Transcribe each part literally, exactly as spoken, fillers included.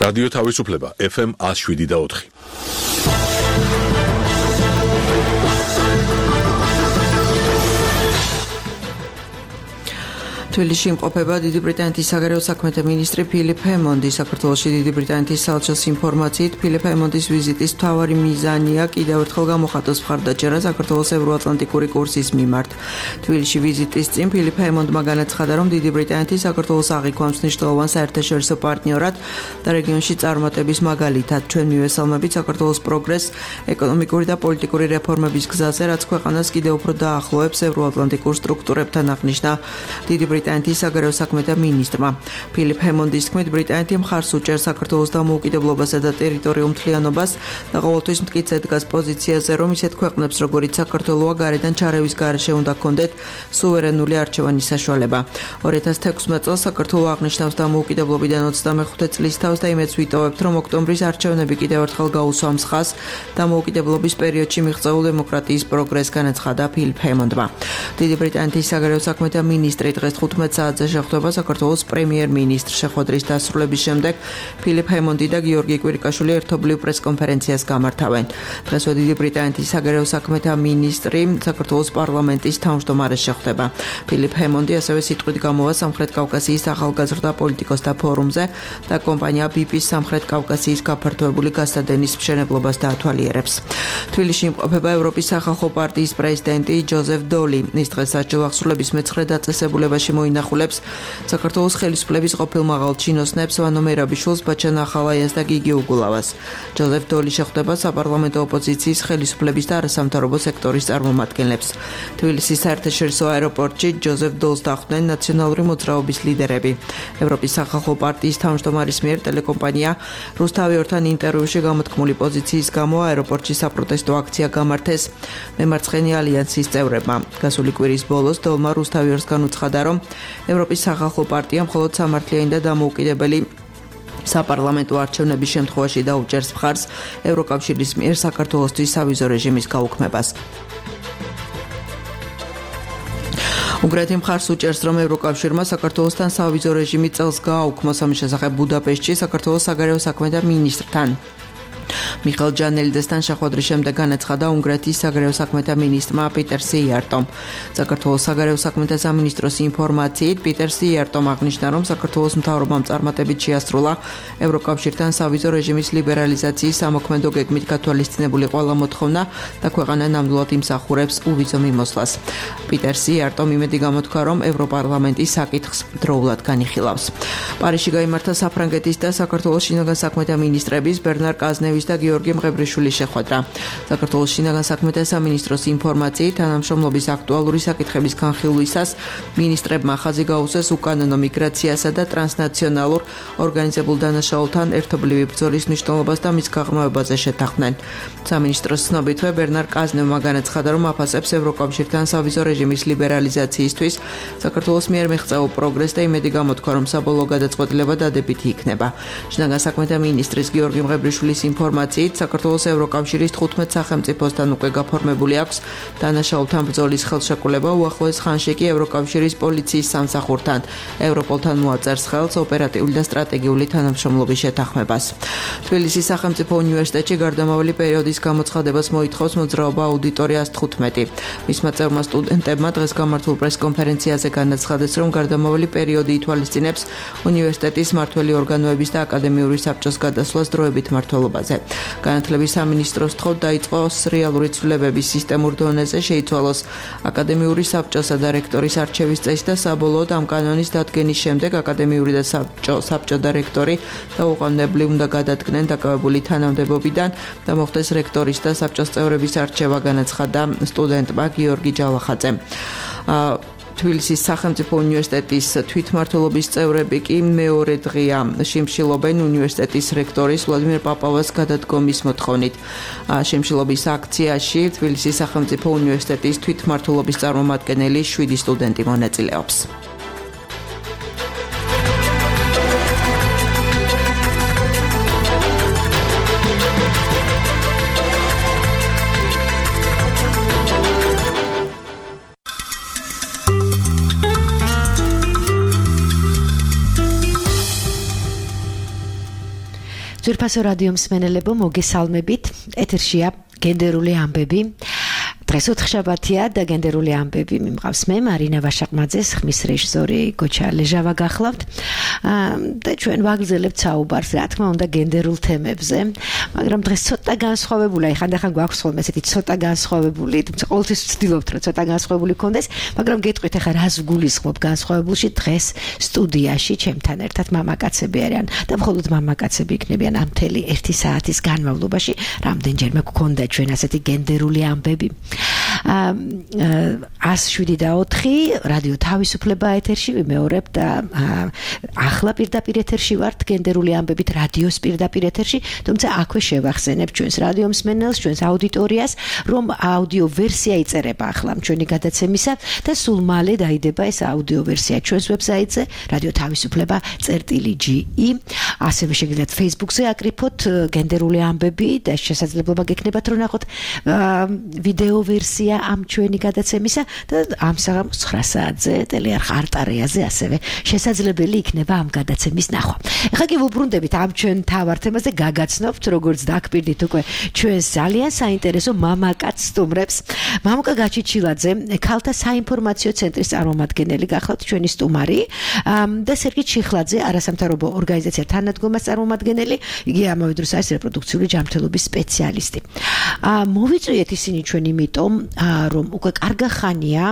რადიო თავისუფლება ეფ ემ one oh seven და four. თბილისში იმყოფება დიდი ბრიტანეთის საგარეო საქმეთა მინისტრი ფილიპ ჰემონდი. საქართველოში დიდი ბრიტანეთის საელჩოს ინფორმაციით ფილიპ ჰემონდის ვიზიტის მთავარი მიზანია კიდევ ერთხელ გამოხატოს მხარდაჭერა საქართველოს ევროატლანტიკური კურსის მიმართ. თბილისში ვიზიტის წინ ფილიპ ჰემონდმა განაცხადა, რომ დიდი ბრიტანეთი საქართველოს აღიქვამს მნიშვნელოვან საერთაშორისო პარტნიორად და რეგიონში წარმატების მაგალითად. ჩვენ მივესალმებით საქართველოს პროგრესს ეკონომიკური და პოლიტიკური რეფორმების გზაზე, რაც ქვეყანას კიდევ უფრო დაახლოებს ევროატლანტიკურ სტრუქტურებთან, აღნიშნა დიდი ბრიტანეთის საგარეო საქმეთა მინისტრმა. ფილიპ ჰემონდის თქმით, ბრიტანეთი მხარს უჭერს საქართველოს დამოუკიდებლობასა და ტერიტორიულ მთლიანობას და ყოველთვის მტკიცედ დგას პოზიციაზე, რომ ისეთ ქვეყნებს, როგორიც საქართველოა, გარედან ჩარევის გარეშე უნდა ჰქონდეთ სუვერენული არჩევანის საშუალება. two thousand sixteen წელს საქართველო აღნიშნავს დამოუკიდებლობიდან ოცდამეხუთე წლის თავს და იმედს ვიტოვებთ, რომ ოქტომბრის არჩევნები კიდევ ერთხელ გაუსვამს ხაზს დამოუკიდებლობის პერიოდში მიღწეულ დემოკრატიის პროგრესს, განაცხადა ფილიპ ჰემონდმა. დიდი ბრიტანეთის საგარეო საქმეთა მინისტრი დღეს ხუთმეტ საათზე შეხვდება საქართველოს პრემიერ-მინისტრს. შეხვედრის დასრულების შემდეგ ფილიპ ჰემონდი და გიორგი კვირიკაშვილი ერთობლივ პრეს-კონფერენციას გამართავენ. დღესვე დიდი ბრიტანეთის საგარეო საქმეთა მინისტრი საქართველოს პარლამენტის თავმჯდომარეს შეხვდება. ფილიპ ჰემონდი ასევე სიტყვით გამოვა სამხრეთ კავკასიის ახალგაზრდა პოლიტიკოსთა ფორუმზე და კომპანია ბი პის სამხრეთ კავკასიის გაფართოებული გასადენის მშენებლობას დაათვალიერებს. თბილისში იმყოფება ევროპის სახალხო პარტიის პრეზიდენტი ჯოზეფ დოლი. ის დღეს საჯარო აღსრულების მეცხრე დაწესებულებაში მოინახულებს საქართველოს ხელისუფლების ყოფილ მაღალ ჩინოსნებს ვანო მერაბიშვილს, ბაჩან ახალაიას და გიგი უგულავას. ჯოზეფ დოლი შეხვდება საპარლამენტო ოპოზიციის ხელისუფლების და არასამთავრობო სექტორის წარმომადგენლებს. თბილისის საერთაშორისო აეროპორტში ჯოზეფ დოლს დახვდნენ ნაციონალური მოძრაობის ლიდერები. ევროპის სახალხო პარტიის თავმჯდომარის მიერ ტელეკომპანია რუსთავიორთან ინტერვიუში გამოთქმული პოზიციის გამო აეროპორტში საპროტესტო აქცია გამართეს მემარცხენე ალიანსის წევრებმა. გასული კვირის ბოლოს დოლმა რუსთავიორსგან უცხადა, რომ ევროპის სახალხო პარტია მხოლოდ სამართლიანი და დამოუკიდებელი საპარლამენტო არჩევნების შემთხვევაში დაუჭერს მხარს ევროკავშირის მიერ საქართველოსთვის სავიზო რეჟიმის გაუქმებას. უნგრეთი მხარს უჭერს, რომ ევროკავშირმა საქართველოსთან სავიზო რეჟიმი წელს გააუქმოს. ამის შესახებ ბუდაპეშტში საქართველოს საგარეო საქმეთა მინისტრთან მიხეილ ჯანელიდესთან შეხვედრის შემდეგ განაცხადა უნგრეთის საგარეო საქმეთა მინისტრმა პიტერ სიარტომ. საქართველოს საგარეო საქმეთა სამინისტროს ინფორმაციით პიტერ სიარტომ აღნიშნა, რომ საქართველოს მთავრობამ წარმატებით შეასრულა ევროკავშირთან სავიზო რეჟიმის ლიბერალიზაციის სამოქმედო გეგმით გათვალისწინებული ყველა მოთხოვნა და ქვეყანა ნამდვილად იმსახურებს უვიზო მიმოსვლას. პიტერ სიარტომ იმედი გამოთქვა, რომ ევროპარლამენტი საკითხს დროულად განიხილავს. პარიზში გაიმართა საფრანგეთის და საქართველოს შინაგან საქმეთა მინისტრების ბერნარ კაზნევის და გიორგი მღებრიშვილის შეხვედრა. საქართველოს შინაგან საქმეთა სამინისტროს ინფორმაციით, თანამშრომლობის აქტუალური საკითხების განხილვისას მინისტრებმა ხაზი გაუსვეს უკანონო მიგრაციასა და ტრანსნაციონალურ ორგანიზებულ დანაშაულთან ერთობლივი ბრძოლის მნიშვნელობას და მის გაღრმავებაზე შეთანხმდნენ. სამინისტროს ცნობითვე ბერნარ კაზნევმა განაცხადა, რომ აფასებს ევროკავშირთან სავიზო რეჟიმის ლიბერალიზაციისთვის საქართველოს მიერ მიღწეულ პროგრესს და იმედი გამოთქვა, რომ საბოლოო გადაწყვეტილება დადებითი იქნება. შინაგან საქმეთა მინისტრის გიორგი მღებრიშვილის ინფორმაციით, საქართველოს ევროკავშირის თხუთმეტ სახელმწიფოსთან უკვე გაფორმებული აქვს დანაშაულთან ბრძოლის ხელშეკრულება. უახლოეს ხანში კი ევროკავშირის პოლიციის სამსახურთან, ევროპოლთან მოაწერს ხელს ოპერატიული და სტრატეგიული თანამშრომლობის შეთანხმებას. თბილისის სახელმწიფო უნივერსიტეტში გარდამავალი პერიოდის გამოცხადებას მოითხოვს მოძრაობა აუდიტორია one fifteen. მისმა წევრმა სტუდენტებმა დღეს გამართულ პრეს-კონფერენციაზე განაცხადეს, რომ გარდამავალი პერიოდი ითვალისწინებს უნივერსიტეტის მმართველი ორგანოების და აკადემიური საბჭოს გადასვლას დროებით მმართველობაზე. განათლების სამინისტროს თხოვთ დაიწყოს რეალური ცვლილებების სისტემურ დონეზე, შეიცვალოს აკადემიური საბჭოსა და რექტორის არჩევის წესი და საბოლოოდ ამ კანონის დადგენის შემდეგ აკადემიური და საბჭო, საბჭო და რექტორი დაუყოვნებლივ უნდა გადადგნენ დაკავებული თანამდებობიდან და მოხდეს რექტორის და საბჭოს წევრების არჩევა, განაცხადა სტუდენტმა გიორგი ჯავახაძემ. თბილისის სახელმწიფო უნივერსიტეტის თვითმმართველობის წევრები კი მეორე დღეა შიმშილობენ უნივერსიტეტის რექტორის ვლადიმერ პაპავას გადადგომის მოთხოვნით. შიმშილობის აქციაში თბილისის სახელმწიფო უნივერსიტეტის თვითმმართველობის წარმომადგენელი შვიდი სტუდენტი მონაწილეობს. ძვირფასო რადიო მსმენელებო, მოგესალმებით. ეთერშია გენდერული ამბები. დღეს ოთხშაბათია და გენდერული ამბები მიმყავს მე მარინა ვაშაყმაძე, ხმის რეჟისორი გოჩა ლეჟავა გახლავთ. და ჩვენ ვაგრძელებთ საუბარს, რა თქმა უნდა, გენდერულ თემებზე, მაგრამ დღეს ცოტა განსხვავებულია. ხანდახან გვაქვს ხოლმე ესეთი ცოტა განსხვავებული, თუმცა ყოველთვის ვცდილობთ, რომ ცოტა განსხვავებული გქონდეს, მაგრამ გეტყვით ახლა რას გულისხმობ განსხვავებულში. დღეს სტუდიაში ჩემთან ერთად მამაკაცები არიან და მხოლოდ მამაკაცები იქნებიან ამ მთელი ერთი საათის განმავლობაში. რამდენჯერმე გქონდა ჩვენ ასეთი გენდერული ამბები. ას შვიდი და ოთხი რადიო თავისუფლება ეთერში ვიმეორებ და ახლა პირდაპირ ეთერში ვართ გენდერული ამბებით რადიოს პირდაპირ ეთერში, თუმცა აქვე შევახსენებ ჩვენს რადიო მსმენელს, ჩვენს აუდიტორიას, რომ აუდიო ვერსია იწერება ახლა ჩვენი გადაცემისა და სულ მალე დაიდება ეს აუდიო ვერსია ჩვენს ვებსაიტზე რადიო თავისუფლება წერტილი ჯი ი. ასევე შეგიძლიათ Facebook-ზე აკრიფოთ გენდერული ამბები და შესაძლებლობა გექნებათ რომ ნახოთ ვიდეო ვერსია ამ ჩვენი გადაცემისა და ამ საღამოს ცხრა საათზე ტელეარხ არტარეაზე ასევე შესაძლებელი იქნება ამ გადაცემის ნახვა. ეხლა კი ვუბრუნდებით ამ ჩვენ თავარ თემაზე, გაგაცნობთ როგორც დაგპირდით უკვე ჩვენს ძალიან საინტერესო მამაკაც სტუმრებს. მამუკა გაჩიჩილაძე, ქალთა საინფორმაციო ცენტრის წარმომადგენელი გახლავთ ჩვენი სტუმარი და სერგი ჩიხლაძე, არასამთავრობო ორგანიზაცია თანადგომას წარმომადგენელი, იგი ამავე დროს არის რეპროდუქციული ჯანმრთელობის სპეციალისტი. მოვიწვიეთ ისინი ჩვენ იმიტომ, რომ უკვე კარგა ხანია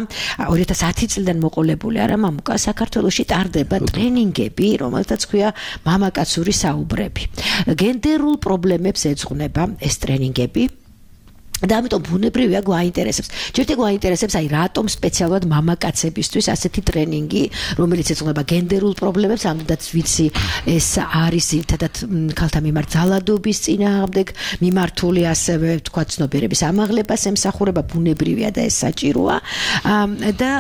ორი ათას ათი წლიდან მოყოლებული არა მამუკა საქართველოში ტარდება ტრენინგები, რომელთაც ქვია მამაკაცური საუბრები. გენდერულ პრობლემებს ეძღვნება ეს ტრენინგები. და ამიტომ ბუნებრივია გვაინტერესებს. ჯერჯერობით გვაინტერესებს, აი რატომ სპეციალურად მამაკაცებისთვის ასეთი ტრენინგი, რომელიც ეძღვნება გენდერულ პრობლემებს, ამდენად ვიცი, ეს არის ერთადად ქალთა მიმართ ძალადობის წინააღმდეგ მიმართული, ასევე თქვა ცნობიერების ამაღლებას ემსახურება, ბუნებრივია და ეს საჭიროა. და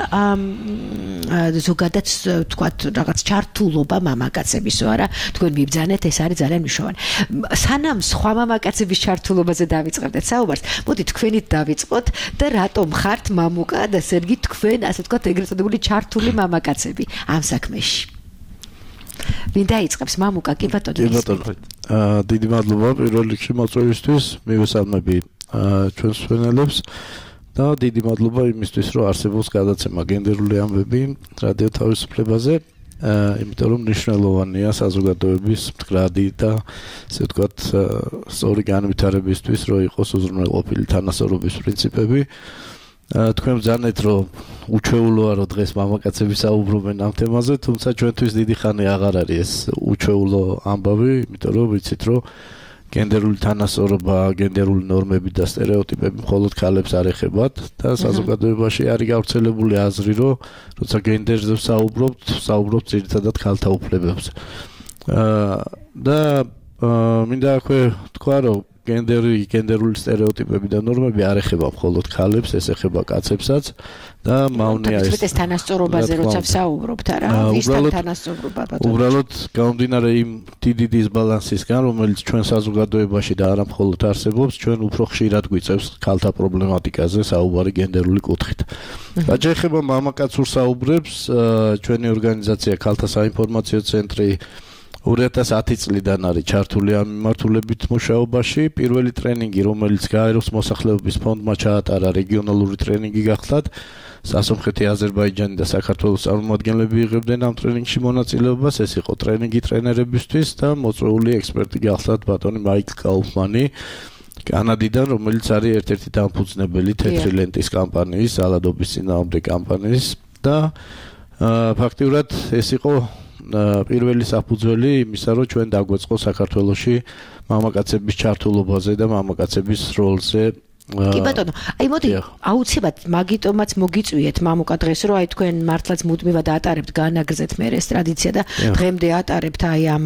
ზოგადად თქვა რაღაც ჩართულობა მამაკაცებისო არა, თქვენ მიბრძანეთ, ეს არის ძალიან მნიშვნელოვანი. სანამ სხვა მამაკაცების ჩართულობაზე დავიწყებდეთ საუბარს, მოდი თქვენით დავიწყოთ და რატომ ხართ მამუკა და სერგი თქვენ ასე ვთქვათ ეგრეთ წოდებული ჩართული მამაკაცები ამ საქმეში. ვინ დაიწყებს მამუკა? კი ბატონო. კი ბატონო. აა დიდი მადლობა პირველ რიგში მოწვევისთვის, მივესალმები ჩვენს მსმენელებს და დიდი მადლობა იმისთვის, რომ არსებობს გადაცემა გენდერული ამბები რადიო თავისუფლებაზე. იმიტომ რომ მნიშვნელოვანია საზოგადოების მდგრადი და ასე ვთქვათ სწორი განვითარებისთვის, რომ იყოს უზრუნველყოფილი თანასწორობის პრინციპები. თქვენ ბრძანეთ, რომ უჩვეულოა, რომ დღეს მამაკაცები საუბრობენ ამ თემაზე, თუმცა ჩვენთვის დიდი ხანი აღარ არის ეს უჩვეულო ამბავი, იმიტომ რომ ვიცით, რომ გენდერული თანასწორობა, გენდერული ნორმები და სტერეოტიპები მხოლოდ ქალებს არ ეხებათ და საზოგადოებაში არის გავრცელებული აზრი, რომ როცა გენდერზე საუბრობთ, საუბრობთ ძირითადად ქალთა უფლებებზე. და მინდა აქვე თქვა, რომ გენდერი, გენდერული სტერეოტიპები და ნორმები არ ეხება მხოლოდ ქალებს, ეს ეხება კაცებსაც და მავნია ეს. ეს თანასწორობაზე როცა ვსაუბრობთ, არა? ვისთან თანასწორობა ბატონო? უბრალოდ გამომდინარე იმ დიდი დისბალანსისგან, რომელიც ჩვენ საზოგადოებაში და არა მხოლოდ არსებობს, ჩვენ უფრო ხშირად გვიწევს ქალთა პრობლემატიკაზე საუბარი გენდერული კუთხით. რაც ეხება მამაკაცურ საუბრებს, ჩვენი ორგანიზაცია ქალთა საინფორმაციო ცენტრი ორი ათას ათი წლიდან არის ჩართული ამ მიმართულებით მუშაობაში. პირველი ტრენინგი, რომელიც გაეროს მოსახლეობის ფონდმა ჩაატარა, რეგიონალური ტრენინგი გახლდათ. სასომხეთი, აზერბაიჯანი და საქართველოს წარმომადგენლები იღებდნენ ამ ტრენინგში მონაწილეობას. ეს იყო ტრენინგი ტრენერებისთვის და მოწვეული ექსპერტი გახლდათ ბატონი მაიკლ კაუფმანი კანადიდან, რომელიც არის ერთ-ერთი დამფუძნებელი თეთრი ლენტის კამპანიის, ძალადობის წინააღმდეგ კამპანიის და ფაქტიურად ეს იყო პირველი საფუძველი იმისა, რომ ჩვენ დაგვეწყო საქართველოში მამაკაცების ჩართულობაზე და მამაკაცების როლზე კი ბატონო, აი მოდი აუცილებლად მაგიტომაც მოგიწვიეთ მამუკა დღეს, რომ აი თქვენ მართლაც მუდმივად ატარებთ განაგრძეთ მე ეს ტრადიცია და დღემდე ატარებთ აი ამ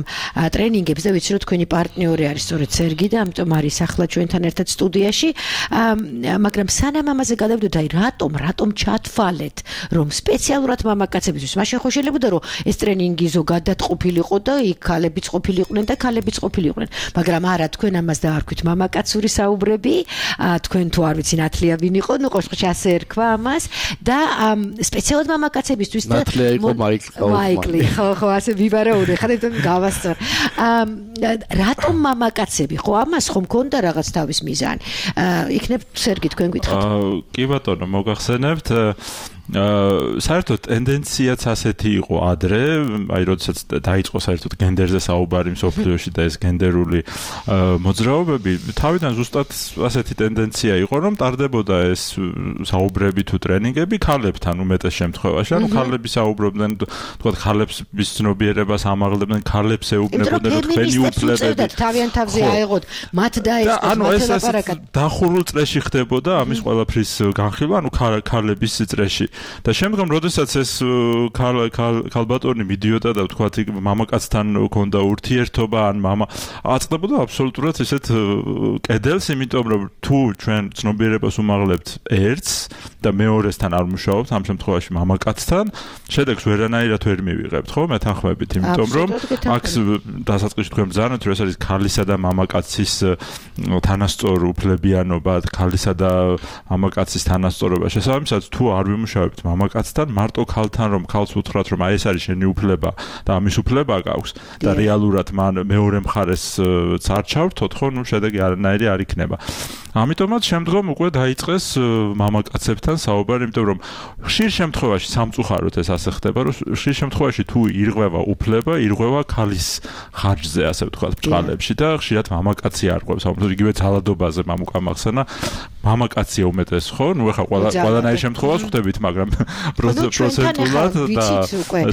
ტრენინგებს და ვიცი რომ თქვენი პარტნიორი არის სწორედ სერგი და ამიტომ არის ახლა ჩვენთან ერთად სტუდიაში, მაგრამ სანამ ამაზე გადავიდოთ, აი რატომ, რატომ ჩათვალეთ, რომ სპეციალურად მამაკაცებისთვის, მაშინ ხო შეიძლება რომ ეს ტრენინგი ზოგადად ყოფილიყო და იქ ქალებიც ყოფილიყვნენ და ქალებიც ყოფილიყვნენ, მაგრამ არა თქვენ ამას დაარქვით მამაკაცური საუბრები, თქვენ თუ არ ვიცი ნათლია ვინ იყო, ნუ ყოშყში ასე ერქვა ამას და სპეციალურად მამაკაცებისთვის და ნათლია იყო მაიკლი. მაიკლი, ხო, ხო, ასე ვიბარაუდე, ხარ თვითონ გავასწორ. რატომ მამაკაცები, ხო, ამას ხომ მქონდა რაღაც თავის მიზანი. იქნებ სერგი თქვენ გითხართ. კი ბატონო, მოგახსენებთ აა საერთოდ ტენდენციაც ასეთი იყო ადრე, აი როდესაც დაიწყო საერთოდ გენდერზე საუბარი მსოფლიოში და ეს გენდერული მოძრაობები, თავიდან ზუსტად ასეთი ტენდენცია იყო, რომ ტარდებოდა ეს საუბრები თუ ტრენინგები ქალებთან უმეტეს შემთხვევაში, ანუ ქალები საუბრობდნენ, თქვათ ქალებს ცნობიერებას ამაღლებდნენ, ქალებს ეუბნებოდნენ, რომ თქვენი უფლებები თავიანთ თავზე აეღოთ, მათ დაესწრათ, ანუ ეს დახურულ წრეში ხდებოდა ამის ყველაფრის განხილვა, ანუ ქალების წრეში. და შემდგომ როდესაც ეს ქალბატონი მიდიოდა და ვთქვათ მამაკაცთან ჰქონდა ურთიერთობა ან მამა აწყდებოდა აბსოლუტურად ესეთ კედელს, იმიტომ რომ თუ ჩვენ ცნობიერებას უმაღლებთ ერთს და მეორესთან არ მუშაობთ, ამ შემთხვევაში მამაკაცთან, შედეგს ვერანაირად ვერ მივიღებთ, ხო, მეთანხმებით, იმიტომ რომ აქ დასაწყისში თქვენ ბრძანეთ, რომ ეს არის ქალისა და მამაკაცის თანასწორ უფლებიანობა, ქალისა და მამაკაცის თანასწორობა. შესაბამისად, თუ არ ვიმუშავებთ მამაკაცთან, მარტო ქალთან რომ ქალს უთხრათ, რომ აი ეს არის შენი უფლება და ამის უფლება გაქვს და რეალურად მან მეორე მხარეს არ ჩავრთოთ, ხო, ნუ შედეგი არანაირი არ იქნება. ამიტომაც შემდგომ უკვე დაიწყეს მამაკაცებთან საუბარი, იმიტომ რომ ხშირ შემთხვევაში სამწუხაროდ ეს ასე ხდება, რომ ხშირ შემთხვევაში თუ ირღვევა უფლება, ირღვევა ქალის ხარჯზე, ასე ვთქვათ, ბრძოლებში და ხშირად მამაკაცი არღვევს. ამიტომ იგივე ძალადობაზე მამუკა მახსენა, მამაკაცია უმეტეს, ხო? ნუ ეხლა ყველა ყველანაირ შემთხვევას ხვდებით, მაგრამ პროცენტულად და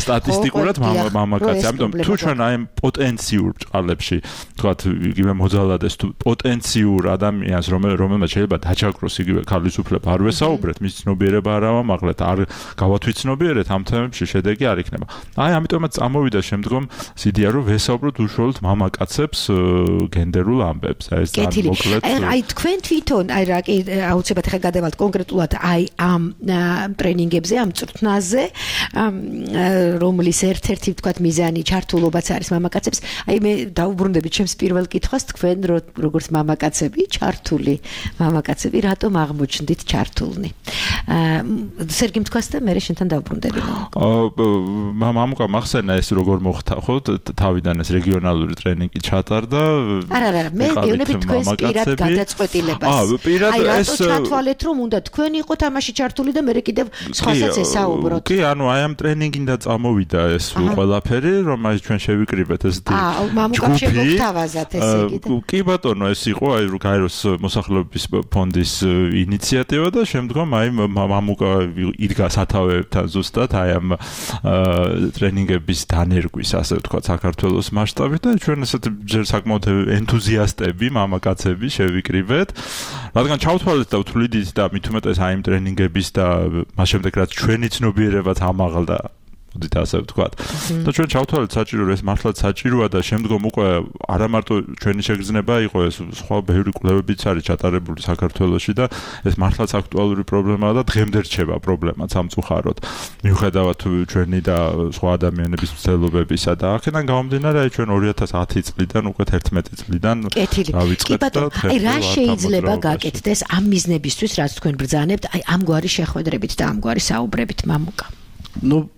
სტატისტიკურად მამაკაცი. ამიტომ თუ ჩვენ აი პოტენციურ ბრძოლებში, ვთქვათ, იგივე მოძალადეს თუ პოტენციურ ადამიანს, რომელმაც შეიძლება დაჩაგროს იგივე ქალის უფლება არ ვესაუბრეთ, მის ცნობიერება არ ავამაღლეთ, არ გავათვითცნობიერეთ, ამ თემებში შედეგი არ იქნება. აი ამიტომაც წამოვიდა შემდგომ სიდია, რომ ვესაუბროთ უშუალოდ მამაკაცებს გენდერულ ამბებს. აი ეს მოკლედ. აი თქვენ თვითონ, აი რა კი აუცილებლად ხა გადავალთ კონკრეტულად აი ამ ტრენინგებზე, ამ წვრთნაზე, რომლის ერთ-ერთი ვთქვათ მიზანი ჩართულობაც არის მამაკაცებს. აი მე დაუბრუნდებით ჩემს პირველ კითხვას, თქვენ როგორც მამაკაცები ჩართული მამაკაცები რატომ აღმოჩნდით ჩართულნი? სერგი თქვას და მე შენთან დავუბრუნდები. აა მამუკა მახსენა ეს როგორ მოხდა, ხო? თავიდან ეს რეგიონალური ტრენინგი ჩატარდა. არა, არა, მე გეუბნები თქვენს პირად გადაწყვეტილებას. აა, პირად ეს აი რატო ჩათვალეთ, რომ უნდა თქვენ იყოთ ამაში ჩართული და მე კიდევ სხვასაც ესაუბროთ. კი, ანუ აი ამ ტრენინგიდან წამოვიდა ეს ყველაფერი, რომ აი ჩვენ შევიკრიბეთ ეს დი. აა, მამუკამ შემოგთავაზათ ესე იგი. კი ბატონო, ეს იყო აი გაეროს მოსახლეობის ფონდის ინიციატივა და შემდგომ აი მამუკა იდგა სათავეებთან ზუსტად აი ამ ტრენინგების დანერგვის, ასე ვთქვათ, საქართველოს მასშტაბით და ჩვენ ესეთ ჯერ საკმაოდ ენთუზიასტები, მამაკაცები შევიკრიბეთ. რადგან ჩავთვალეთ და ვთვლიდით და მით უმეტეს აი იმ ტრენინგების და მას შემდეგ რაც ჩვენი ცნობიერებაც ამაღლდა, მოდით ასე ვთქვათ. და ჩვენ ჩავთვალეთ საჭირო, ეს მართლაც საჭიროა და შემდგომ უკვე არა მარტო ჩვენი შეგრძნება იყო, ეს სხვა ბევრი კვლევებიც არის ჩატარებული საქართველოში და ეს მართლაც აქტუალური პრობლემაა და დღემდე რჩება პრობლემა სამწუხაროდ. მიუხედავად ჩვენი და სხვა ადამიანების მცდელობებისა და აქედან გამომდინარე, აი ჩვენ ორი ათას ათი წლიდან უკვე ერთმეტი წლიდან დავიწყეთ და აი რა შეიძლება გაკეთდეს ამ მიზნებისთვის, რაც თქვენ ბრძანებთ, აი ამგვარი შეხვედრებით და ამგვარი საუბრებით, მამუკა? ну,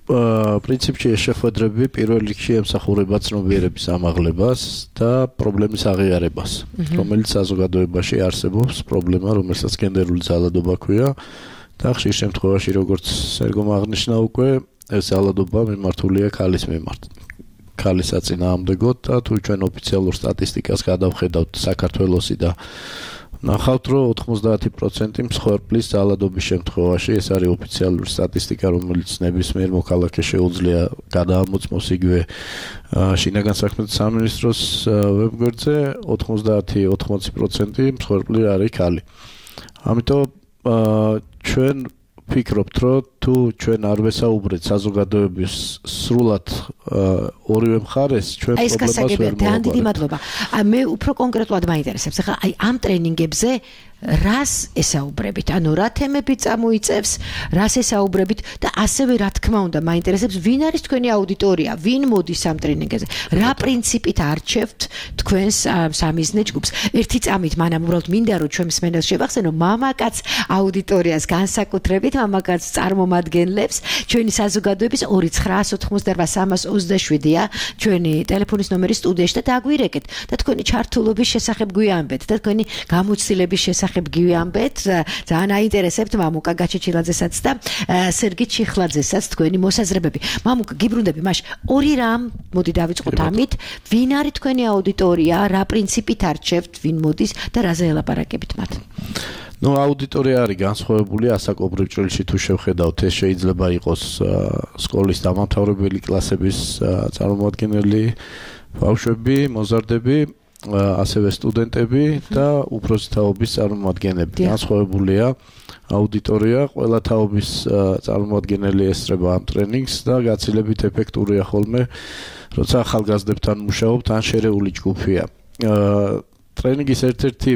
პრინციპში ეს შეხვედრები პირველ რიგში ემსახურება ცნობიერების ამაღლებას და პრობლემის აღიარებას, რომელიც საზოგადოებაში არსებობს, პრობლემა, რომელსაც გენდერული ძალადობა ქვია და ხშირ შემთხვევაში, როგორც სერგომ აღნიშნა უკვე, ეს ძალადობა მიმართულია ქალის მიმართ. ქალის საწინააღმდეგოდ და თუ ჩვენ ოფიციალურ სტატისტიკას გადავხედავთ საქართველოსი და ნახავთ, რომ ოთხმოცდაათი პროცენტი მსხვერპლის ძალადობის შემთხვევაში, ეს არის ოფიციალური სტატისტიკა, რომელიც ნებისმიერ მოქალაქეს შეუძლია გადაამოწმოს იგივე შინაგან საქმეთა სამინისტროს ვებგვერდზე, ოთხმოცდაათი ოცდაოთხი პროცენტი მსხვერპლი არის ქალი. ამიტომ ჩვენ ვფიქრობთ, რომ თუ ჩვენ არ ვესაუბრეთ საზოგადოების სრულად ორივე მხარეს, ჩვენ პრობლემას ვერ მოვაყარებთ. აი ეს გასაგებია, ძალიან დიდი მადლობა. მე უფრო კონკრეტულად მაინტერესებს, ახლა აი ამ ტრენინგებზე რას ესაუბრებით, ანუ რა თემები წამოიწევს, რას ესაუბრებით და ასევე რა თქმა უნდა მაინტერესებს ვინ არის თქვენი აუდიტორია, ვინ მოდის ამ ტრენინგებზე, რა პრინციპით არჩევთ თქვენს სამიზნე ჯგუფს. ერთი წამით მანამ უბრალოდ მინდა რომ ჩვენ მსმენელს შევახსენო მამაკაც აუდიტორიას განსაკუთრებით მამაკაც წარმომადგენლებს ჩვენი საზოგადოების ორი ცხრა ოთხმოცდაოთხ სამას ოცდაშვიდია ჩვენი ტელეფონის ნომერი სტუდიაში და დაგვირეკეთ და თქვენი ჩართულობის შესახებ გვიამბეთ და თქვენი გამოცდილების შესახებ გვიამბეთ. ძალიან აინტერესებთ მამუკა გაჩეჩილაძესაც და სერგი ჩიხლაძესაც თქვენი მოსაზრებები. მამუკა გიბრუნდები მაშ ორი რამ მოდი დავიწყოთ ამით ვინ არის თქვენი აუდიტორია, რა პრინციპით არჩევთ, ვინ მოდის და რაზე ელაპარაკებით მათ. ნუ აუდიტორია არის განსხვავებული ასაკობრივ ჭრილში თუ შევხედავთ ეს შეიძლება იყოს სკოლის დამამთავრებელი კლასების წარმომადგენელი ბავშვები, მოზარდები, ასევე სტუდენტები და უფროსი თაობის წარმომადგენლები. განსხვავებულია აუდიტორია, ყველა თაობის წარმომადგენელი ესწრება ამ ტრენინგს და გაცილებით ეფექტურია ხოლმე, როცა ახალგაზრდებთან მუშაობთ, ან შერეული ჯგუფია. ტრენინგის ერთ-ერთი,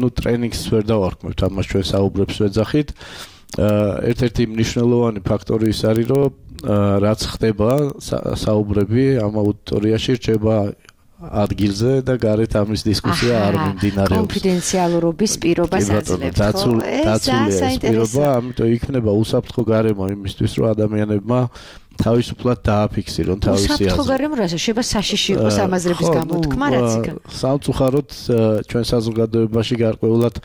ну, ტრენინგს ვერ დავარქმევთ, ამას ჩვენ საუბრებს ვეძახით. ერთ-ერთი მნიშვნელოვანი ფაქტორი ის არის, რომ რაც ხდება საუბრები ამ აუდიტორიაში რჩება ადგილზე და გარეთ ამის დისკუსია არ მიმდინარეობს. კონფიდენციალურობის პირობას აძლევთ. დაცულია ეს პირობა, ამიტომ იქნება უსაფრთხო გარემო იმისთვის, რომ ადამიანებმა თავისუფლად დააფიქსირონ თავისი აზრი. უსაფრთხო გარემო რა შეიძლება საშიში იყოს ამაზრების გამოთქმა რაც იქ. სამწუხაროდ ჩვენ საზოგადოებაში გარკვეულად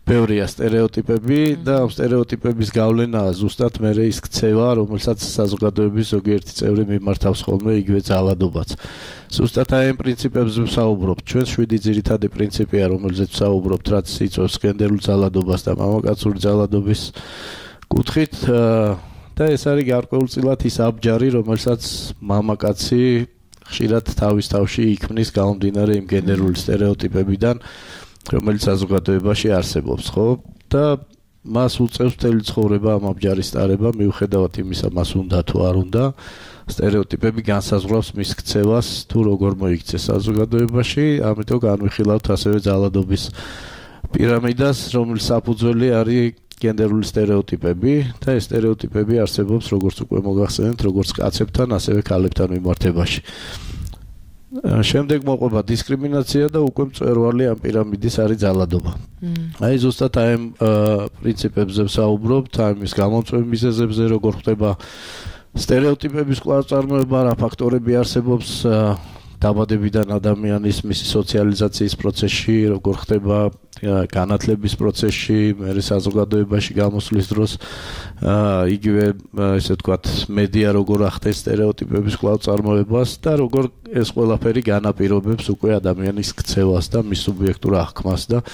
ბევრია სტერეოტიპები და ამ სტერეოტიპების გავლენაა ზუსტად მე ის ქცევა, რომელსაც საზოგადოების ზოგიერთი წევრი მიმართავს ხოლმე იგივე ძალადობაც. ზუსტად აი ამ პრინციპებზე ვსაუბრობთ. ჩვენ შვიდი ძირითადი პრინციპია, რომელზეც ვსაუბრობთ, რაც იწვევს გენდერულ ძალადობას და მამაკაცური ძალადობის კუთხით და ეს არის გარკვეულწილად ის აბჯარი, რომელსაც მამაკაცი ხშირად თავის თავში იქმნის გამომდინარე იმ გენდერული სტერეოტიპებიდან, რომელიც საზოგადოებაში არსებობს, ხო? და მას უწევს მთელი ცხოვრება ამ აბჯარის ტარება, მიუხედავად იმისა, მას უნდა თუ არ უნდა, სტერეოტიპები განსაზღვრავს მის ქცევას, თუ როგორ მოიქცეს საზოგადოებაში, ამიტომ განვიხილავთ ასევე ძალადობის პირამიდას, რომლის საფუძველი არის გენდერული სტერეოტიპები და ეს სტერეოტიპები არსებობს როგორც უკვე მოგახსენეთ, როგორც კაცებთან, ასევე ქალებთან მიმართებაში. შემდეგ მოყვება დისკრიმინაცია და უკვე მწვერვალი ამ პირამიდის არის ძალადობა. აი ზუსტად აი ამ პრინციპებზე ვსაუბრობთ, აი მის გამომწვევ მიზეზებზე, როგორ ხდება სტერეოტიპების კვლავ-წარმოება, რა ფაქტორები არსებობს დაბადებიდან ადამიანის მისი სოციალიზაციის პროცესში, როგორ ხდება განათლების პროცესში, მერე საზოგადოებაში გამოსვლის დროს, იგივე ესე ვთქვათ, მედია როგორ ახდენს სტერეოტიპების კვლავ-წარმოებას და როგორ ეს ყველაფერი განაპირობებს უკვე ადამიანის ქცევას და მის სუბიექტურ აღქმას და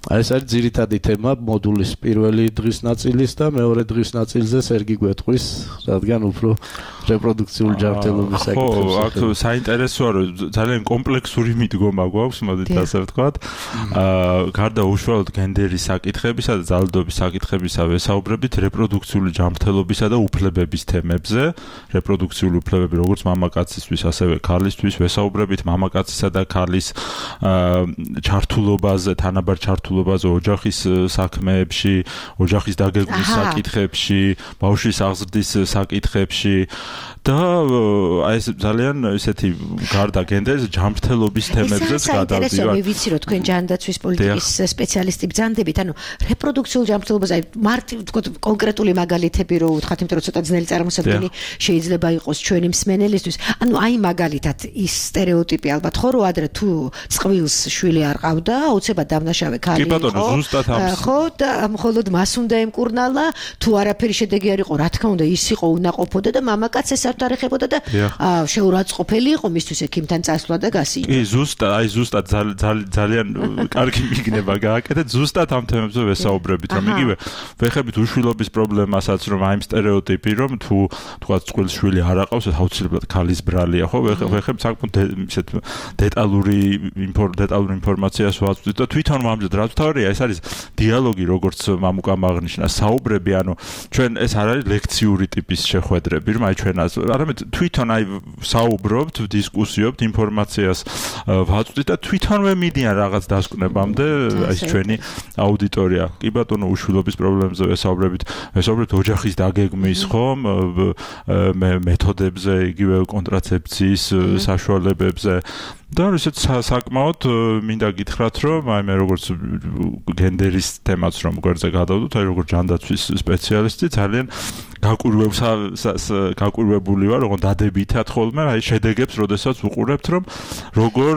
ეს არის ძირითადი თემა მოდულის პირველი დღის ნაწილის და მეორე დღის ნაწილზე სერგი გვეტყვის, რადგან უფრო რეპროდუქციული ჯანმრთელობის საკითხებს. ხო, აქ საინტერესოა, რომ ძალიან კომპლექსური მიდგომა გვაქვს, მოდით ასე ვთქვათ. აა გარდა უშუალოდ გენდერის საკითხებისა და ძალადობის საკითხებისა ვესაუბრებით რეპროდუქციული ჯანმრთელობისა და უფლებების თემებზე. რეპროდუქციული უფლებები როგორც მამაკაცისთვის, ასევე ქალისთვის ვესაუბრებით მამაკაცისა და ქალის აა ჩართულობაზე, თანაბარ ჩართულობაზე ოჯახის საქმეებში, ოჯახის დაგეგმვის საკითხებში, ბავშვის აღზრდის საკითხებში და აი ეს ძალიან ესეთი გარდა გენდერის ჯანმრთელობის თემებზეც გადავდივართ. მე ვიცი რომ თქვენ ჯანდაცვის პოლიტიკის სპეციალისტი ბრძანდებით, ანუ რეპროდუქციულ ჯანმრთელობას აი მარტივ თქო კონკრეტული მაგალითები რო ვთქვათ, იმიტომ რომ ცოტა ძნელი წარმოსადგენი შეიძლება იყოს ჩვენი მსმენელისთვის. ანუ აი მაგალითად ის სტერეოტიპი ალბათ ხო რომ ადრე თუ წყვილს შვილი არ ყავდა, აუცილებლად დამნაშავე ქალი იყო. ხო და მხოლოდ მას უნდა ემკურნალა, თუ არაფერი შედეგი არ იყო, რა თქმა უნდა ის იყო უნაყოფოდა და მამაკაცს არ დაეხებოდა და შეურაცხყოფელი იყო მისთვის ექიმთან წასვლა და გასინა. კი, ზუსტად, აი ზუსტად ძალიან კარგი მიგნება გააკეთეთ, ზუსტად ამ თემებზე ვესაუბრებით, რომ იგივე ვეხებით უშვილობის პრობლემასაც, რომ აი სტერეოტიპი, რომ თუ თქვათ წყვილს შვილი არ აყავს, აუცილებლად ქალის ბრალია, ხო? ვეხებ საკმაოდ ისეთ დეტალური დეტალური ინფორმაციას ვაწვდით და თვითონ მომამზად რაც თავია ეს არის დიალოგი, როგორც მამუკამ აღნიშნა, საუბრები, ანუ ჩვენ ეს არ არის ლექციური ტიპის შეხვედრები, რომ აი ჩვენ არამედ თვითონ აი საუბრობთ, დისკუსიობთ, ინფორმაციას ვაწვდით და თვითონვე მიდიან რაღაც დასკვნებამდე ეს ჩვენი აუდიტორია. კი ბატონო, უშვილობის პრობლემებზე ვესაუბრებით, ვესაუბრებთ ოჯახის დაგეგმის ხომ, მეთოდებზე, იგივე კონტრაცეფციის საშუალებებზე. და ისეთ საკმაოდ მინდა გითხრათ, რომ აი მე როგორც გენდერის თემაც რომ გვერდზე გადავდოთ, აი როგორც ჯანდაცვის სპეციალისტი ძალიან გაკვირვებული ვარ, როგორ დადებითად ხოლმე აი შედეგებს, როდესაც ვუყურებთ, რომ როგორ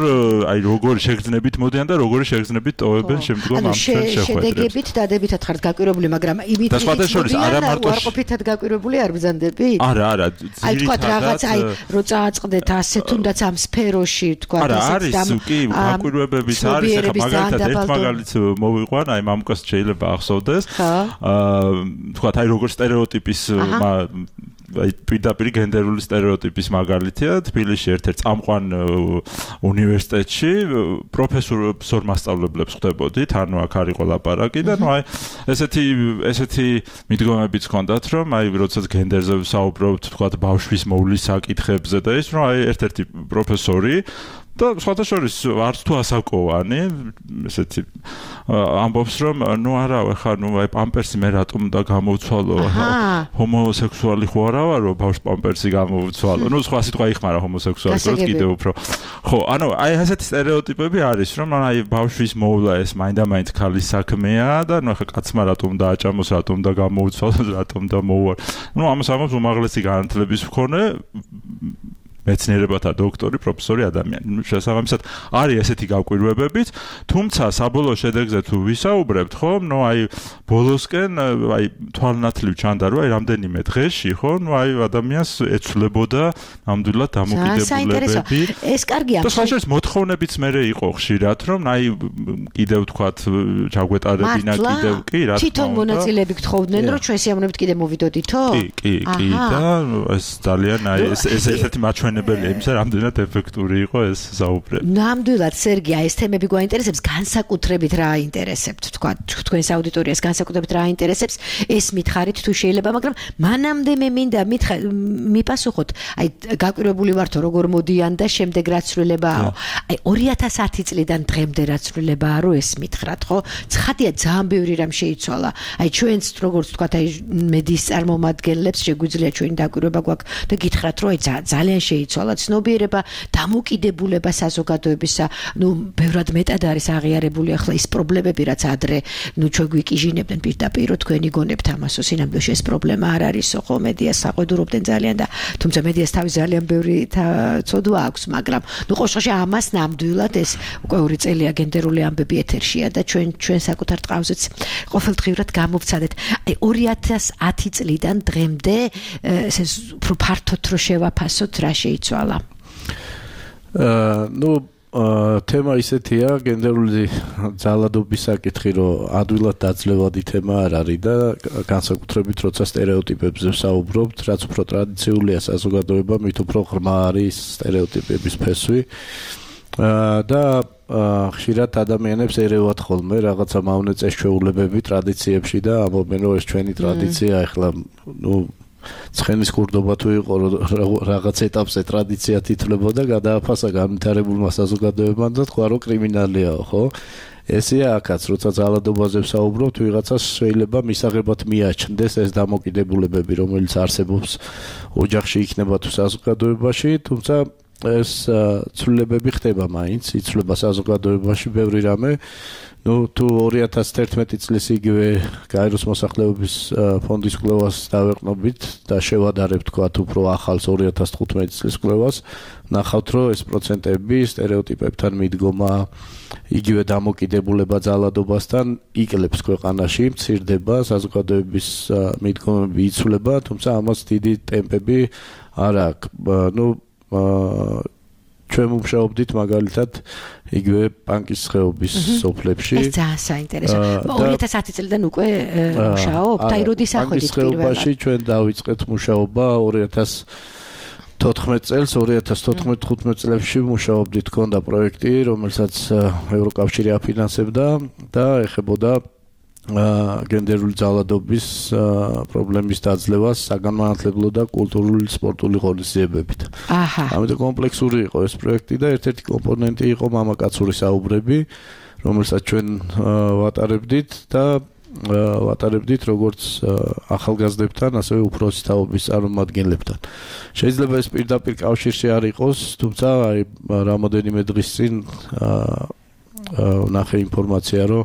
აი როგორ შეგრძნებით მოდიან და როგორ შეგრძნებით ტოვებენ შემდგომ ამ ჩვენ შეხვედრებს. შედეგებით დადებითად ხართ გაკვირვებული, მაგრამ იმით და სხვათა შორის არა მარტო უარყოფითად გაკვირვებული არ ბრძანდებით? არა, არა, აი თქვა რაღაც აი რო წააწყდეთ ასე თუნდაც ამ სფეროში თქვა არა არის კი გაკვირვებებიც არის ახლა მაგალითად ერთ მაგალითს მოვიყვან აი მამუკას შეიძლება ახსოვდეს აა თქვა აი როგორ სტერეოტიპის აი პირდაპირ გენდერული სტერეოტიპის მაგალითია თბილისში ერთ-ერთ წამყვან უნივერსიტეტში პროფესორ მასწავლებლებს ხვდებოდით, ანუ აქ არის ყოლაპარაკი და ნუ აი ესეთი ესეთი მიდგომებიც ჰქონდათ, რომ აი როდესაც გენდერზე ვსაუბრობთ, თქვა ბავშვის მოვლის საკითხებზე და ის რომ აი ერთ-ერთი პროფესორი და სხვათა შორის არც თუ ასაკოვანი ესეთი ამბობს რომ ნუ არა ხა ნუ აი პამპერსი მე რატომ და გამოვცვალო ჰომოსექსუალი ხო არა ვარო ბავშვ პამპერსი გამოვცვალო ნუ სხვა სიტყვა იხმარა ჰომოსექსუალს რო კიდე უფრო ხო ანუ აი ესეთი სტერეოტიპები არის რომ აი ბავშვის მოვლა ეს მაინდა-მაინც ქალის საქმეა და ნუ ხა კაცმა რატომ დააჭამოს რატომ და გამოვცვალო რატომ და მოუარ ნუ ამას ამბობს უმაღლესი განათლების მქონე მეცნიერებათა დოქტორი, პროფესორი ადამიანი. შესაბამისად, არის ესეთი გაკვირვებებიც, თუმცა საბოლოო შედეგზე თუ ვისაუბრებთ, ხო? ნუ აი ბოლოსკენ აი თვალნათლივ ჩანდა, რომ აი რამდენიმე დღეში, ხო? ნუ აი ადამიანს ეცვლებოდა ნამდვილად დამოკიდებულებები. ეს კარგია. და სხვაშორის მოთხოვნებიც მერე იყო ხშირად, რომ აი კიდევ თქვათ ჩაგვეტარებინა კიდევ კი რა თქმა უნდა. თვითონ მონაწილეები გთხოვდნენ, რომ ჩვენ სიამოვნებით კიდე მოვიდოდითო? კი, კი, კი და ეს ძალიან აი ეს ეს ერთი მაჩვენებელია იმისა, რამდენად ეფექტური იყო ეს საუბრები. ნამდვილად სერგი, ეს თემები გვაინტერესებს, განსაკუთრებით რა აინტერესებთ, თქვა, თქვენს აუდიტორიას განსაკუთრებით რა აინტერესებს, ეს მითხარით თუ შეიძლება, მაგრამ მანამდე მე მინდა მითხა მიპასუხოთ, აი გაკვირვებული ვართო როგორ მოდიან და შემდეგ რა ცვლილებაა. აი ორი ათას ათი წლიდან დღემდე რა ცვლილებაა, რო ეს მითხრათ, ხო? ცხადია ძალიან ბევრი რამ შეიცვალა. აი ჩვენც როგორც თქვა, აი მედიის წარმომადგენლებს შეგვიძლია ჩვენი დაკვირვება გვაქვს და გითხრათ, რომ აი ძალიან შეიცვალა ცნობიერება, დამოკიდებულება საზოგადოებისა, ნუ ბევრად მეტად არის აღიარებული ახლა ის პრობლემები, რაც ადრე, ნუ ჩვენ გვიკიჟინებდნენ პირდაპირ, რომ თქვენი გონებთ ამასო, სინამდვილეში ეს პრობლემა არ არისო, ხო, მედიას საყვედურობდნენ ძალიან და თუმცა მედიას თავის ძალიან ბევრი ცოდვა აქვს, მაგრამ ნუ ყოველშაბათში ამას ნამდვილად ეს უკვე ორი წელია გენდერული ამბები ეთერშია და ჩვენ ჩვენ საკუთარ ტყავზეც ყოველდღიურად გამოვცადეთ. აი ორი ათას ათი წლიდან დღემდე ეს უფრო ფართოდ რო შევაფასოთ რა შეიცვალა? აა ნუ თემა ისეთია, გენდერული ძალადობის საკითხი, რომ ადვილად დაძლევადი თემა არ არის და განსაკუთრებით როცა სტერეოტიპებზე ვსაუბრობთ, რაც უფრო ტრადიციულია საზოგადოება, მით უფრო ღრმა არის სტერეოტიპების ფესვი. აა და ხშირად ადამიანებს ერევათ ხოლმე რაღაცა მავნე წესჩვეულებები ტრადიციებში და ამბობენ, რომ ეს ჩვენი ტრადიცია, ეხლა ნუ ცხენის კურდობა თუ იყო რაღაც ეტაპზე ტრადიცია თითლებოდა გადააფასა განვითარებულმა საზოგადოებამ და თქვა რომ კრიმინალიაო, ხო? ესეა აქაც, როცა ძალადობაზე ვსაუბრობთ, ვიღაცას შეიძლება მისაღებად მიაჩნდეს ეს დამოკიდებულებები, რომელიც არსებობს ოჯახში იქნება თუ საზოგადოებაში, თუმცა ეს ცვლილებები ხდება მაინც, იცვლება საზოგადოებაში ბევრი რამე. ნუ თუ ორი ათას თერთმეტი წლის იგივე გაეროს მოსახლეობის ფონდის კვლევას დავეყნობით და შევადარებთ თქვა უფრო ახალს ორი ათას თხუთმეტი წლის კვლევას, ნახავთ რომ ეს პროცენტები სტერეოტიპებთან მიდგომა, იგივე დამოკიდებულება ძალადობასთან იკლებს ქვეყანაში, მცირდება, საზოგადოების მიდგომები იცვლება, თუმცა ამას დიდი ტემპები არ აქვს. ნუ ჩვენ მუშაობდით მაგალითად იგივე პანკის ხეობის სოფლებში. ეს ძალიან საინტერესო. ორი ათას ათი წლიდან უკვე მუშაობთ, აი როდის ახვედით პირველად? პანკის ხეობაში ჩვენ დავიწყეთ მუშაობა ორი ათას თოთხმეტ წელს ორი ათას თოთხმეტ-ხუთმეტ წლებში მუშაობდით, ქონდა პროექტი, რომელსაც ევროკავშირი აფინანსებდა და ეხებოდა გენდერული ძალადობის პრობლემის დაძლევას საგანმანათლებლო და კულტურული სპორტული ღონისძიებებით. აჰა. ამიტომ კომპლექსური იყო ეს პროექტი და ერთ-ერთი კომპონენტი იყო მამაკაცური საუბრები, რომელსაც ჩვენ ვატარებდით და ვატარებდით როგორც ახალგაზრდებთან, ასევე უფროსი თაობის წარმომადგენლებთან. შეიძლება ეს პირდაპირ კავშირში არ იყოს, თუმცა აი რამოდენიმე დღის წინ ვნახე ინფორმაცია, რომ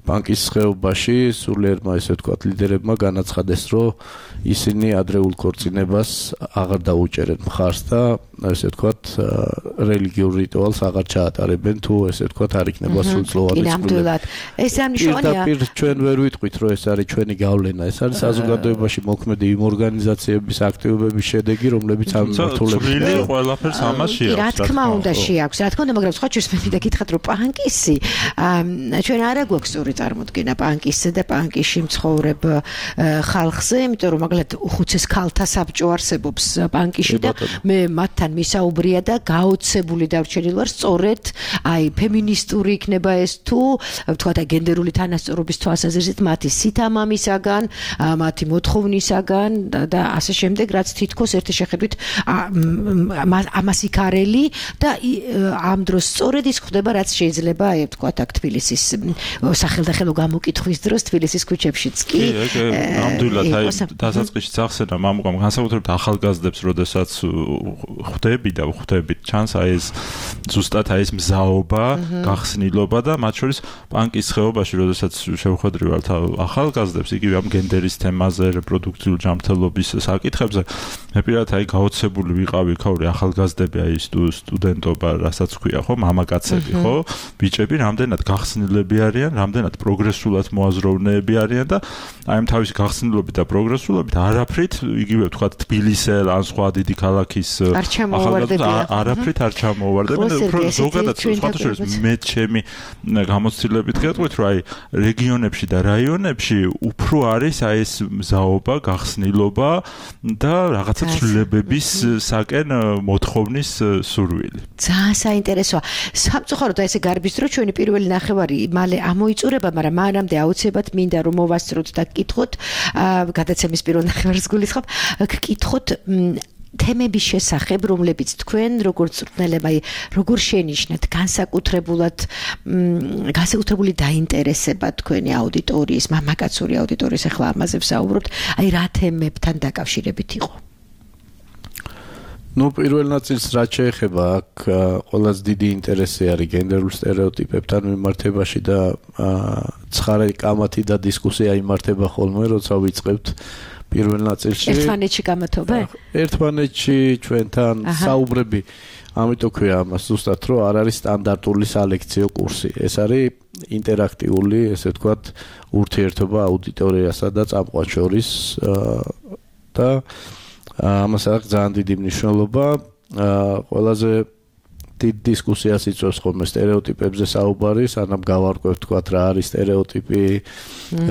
ბანკის ხეობაში სულიერმა, ესე ვთქვათ, ლიდერებმა განაცხადეს, რომ ისინი ადრეულ ქორწინებას აღარ დაუჭერენ მხარს და ესე ვთქვათ, რელიგიურ რიტუალს აღარ ჩაატარებენ, თუ ესე ვთქვათ, არ იქნება სრულწლოვანი წყვილება. ეს ამნიშნულია. პირდაპირ ჩვენ ვერ ვიტყვით, რომ ეს არის ჩვენი გავლენა, ეს არის საზოგადოებაში მოქმედი იმ ორგანიზაციების აქტივობების შედეგი, რომლებიც ამ მიმართულებით ყველაფერს ამას შეაქვს. რა თქმა უნდა შეაქვს, რა თქმა უნდა, მაგრამ სხვა ჩვენს მე მინდა გითხრათ, რომ პანკისი ჩვენ არა გვაქვს სწორი წარმოდგენა პანკისზე და პანკისში მცხოვრებ ხალხზე, იმიტომ რომ მაგალითად უხუცეს ქალთა საბჭო არსებობს პანკისში და მე მათთან მისაუბრია და გაოცებული დარჩენილი ვარ სწორედ აი ფემინისტური იქნება ეს თუ ვთქვათ გენდერული თანასწორობის თვალსაზრისით მათი სითამამისაგან, მათი მოთხოვნისაგან და ასე შემდეგ, რაც თითქოს ერთი შეხედვით ამას იქარელი და ამ დროს სწორედ ის ხდება, რაც შეიძლება აი ვთქვათ აქ თბილისის სახელდახელო გამოკითხვის დროს თბილისის ქუჩებშიც კი ნამდვილად აი დასაწყისში ახსენა მამუკამ განსაკუთრებით ახალგაზრდებს როდესაც ხვდები და ხვდებით ჩანს აი ეს ზუსტად აი ეს მზაობა, გახსნილობა და მათ შორის პანკის ხეობაში როდესაც შევხვედრივართ ახალგაზრდებს იგივე ამ გენდერის თემაზე, რეპროდუქციული ჯანმრთელობის საკითხებზე მე პირადად აი გაოცებული ვიყავი ქაური ახალგაზრდები აი სტუდენტობა, რასაც ქვია ხო, მამაკაცები ხო, ბიჭები რამდენად გახსნილები არიან, რამდენად პროგრესულად მოაზროვნეები არიან და აი ამ თავისი გახსნილობით და პროგრესულობით არაფრით იგივე ვთქვათ თბილისელ ან სხვა დიდი ქალაქის ახალგაზრდებს არაფრით არ ჩამოუვარდებიან. უფრო ზოგადად სხვათა შორის მე ჩემი გამოცდილებით გეტყვით, რომ აი რეგიონებში და რაიონებში უფრო არის აი ეს მზაობა, გახსნილობა და რაღაცა ცვლილებებისაკენ მოთხოვნის სურვილი. ძალიან საინტერესოა. სამწუხაროდ ესე გარბის დრო ჩვენი პირველი ნახევარი მალე ამოიწურება, მაგრამ მანამდე აუცილებლად მინდა რომ მოვასწროთ და გკითხოთ, გადაცემის პირველ ნახევარს გულისხმობ, გკითხოთ თემების შესახებ, რომლებიც თქვენ როგორც მწვრთნელებმა როგორ შენიშნეთ განსაკუთრებულად განსაკუთრებული დაინტერესება თქვენი აუდიტორიის, მამაკაცური აუდიტორიის, ახლა ამაზე ვსაუბრობთ, აი რა თემებთან დაკავშირებით იყო? ნუ პირველ ნაწილს რაც შეეხება, აქ ყველაზე დიდი ინტერესი არის გენდერულ სტერეოტიპებთან მიმართებაში და ცხარე კამათი და დისკუსია იმართება ხოლმე, როცა ვიწყებთ პირველ ნაწილში. ერთმანეთში გამათობე? ერთმანეთში ჩვენთან საუბრები, ამიტომ ქვია ამას ზუსტად, რომ არ არის სტანდარტული სალექციო კურსი. ეს არის ინტერაქტიული, ესე ვთქვათ, ურთიერთობა აუდიტორიასა და წამყვან შორის და ამას აქვს ძალიან დიდი მნიშვნელობა. ყველაზე დიდ დისკუსიას იწვევს ხოლმე სტერეოტიპებზე საუბარი, სანამ გავარკვევთ თქვათ რა არის სტერეოტიპი,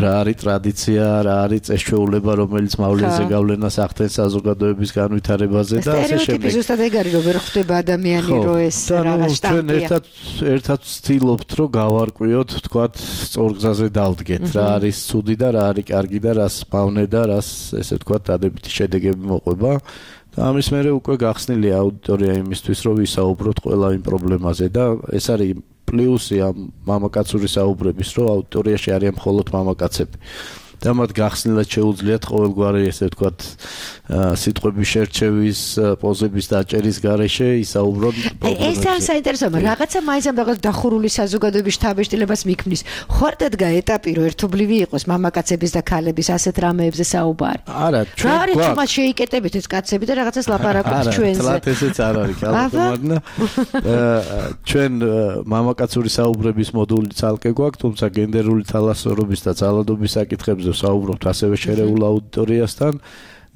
რა არის ტრადიცია, რა არის წესჩვეულება, რომელიც მავლენზე გავლენას ახდენს საზოგადოების განვითარებაზე და ასე შემდეგ. სტერეოტიპი ზუსტად ეგ არის, რომ ვერ ხვდება ადამიანი, რომ ეს რაღაც შტამპია. ჩვენ ერთად ერთად ვცდილობთ, რომ გავარკვიოთ თქვათ სწორგზაზე დავდგეთ, რა არის ცუდი და რა არის კარგი და რას მავნე და რას ესე ვთქვათ დადებითი შედეგები მოყვება. ამის მერე უკვე გახსნილია აუდიტორია იმისთვის, რომ ვისაუბროთ ყველა იმ პრობლემაზე და ეს არის პლუსი ამ მამაკაცური საუბრების, რომ აუდიტორიაში არიან მხოლოდ მამაკაცები. და მათ გახსნილად შეუძლიათ ყოველგვარი ესე ვთქვათ სიტყვების შერჩევის, პოზების დაჭერის გარეშე ისაუბრონ პრობლემებზე. ეს ძალიან საინტერესოა, რაღაცა მაინც ამ რაღაც დახურული საზოგადოების შთაბეჭდილებას მიქმნის. ხوارდადგა ეტაპი რომ ერთობლივი იყოს მამაკაცების და ქალების ასეთ რამეებზე საუბარი. არა, ჩვენ გვაქვს. რა არის თუმცა შეიკეტებით ეს კაცები და რაღაცას ლაპარაკობთ ჩვენზე. არა, თლათ ესეც არ არის, ალბათ. ჩვენ მამაკაცური საუბრების მოდული ცალკე გვაქვს, თუმცა გენდერული თალასწორობის და ძალადობის საკითხებზე საუბრობთ ასევე შერეულ აუდიტორიასთან.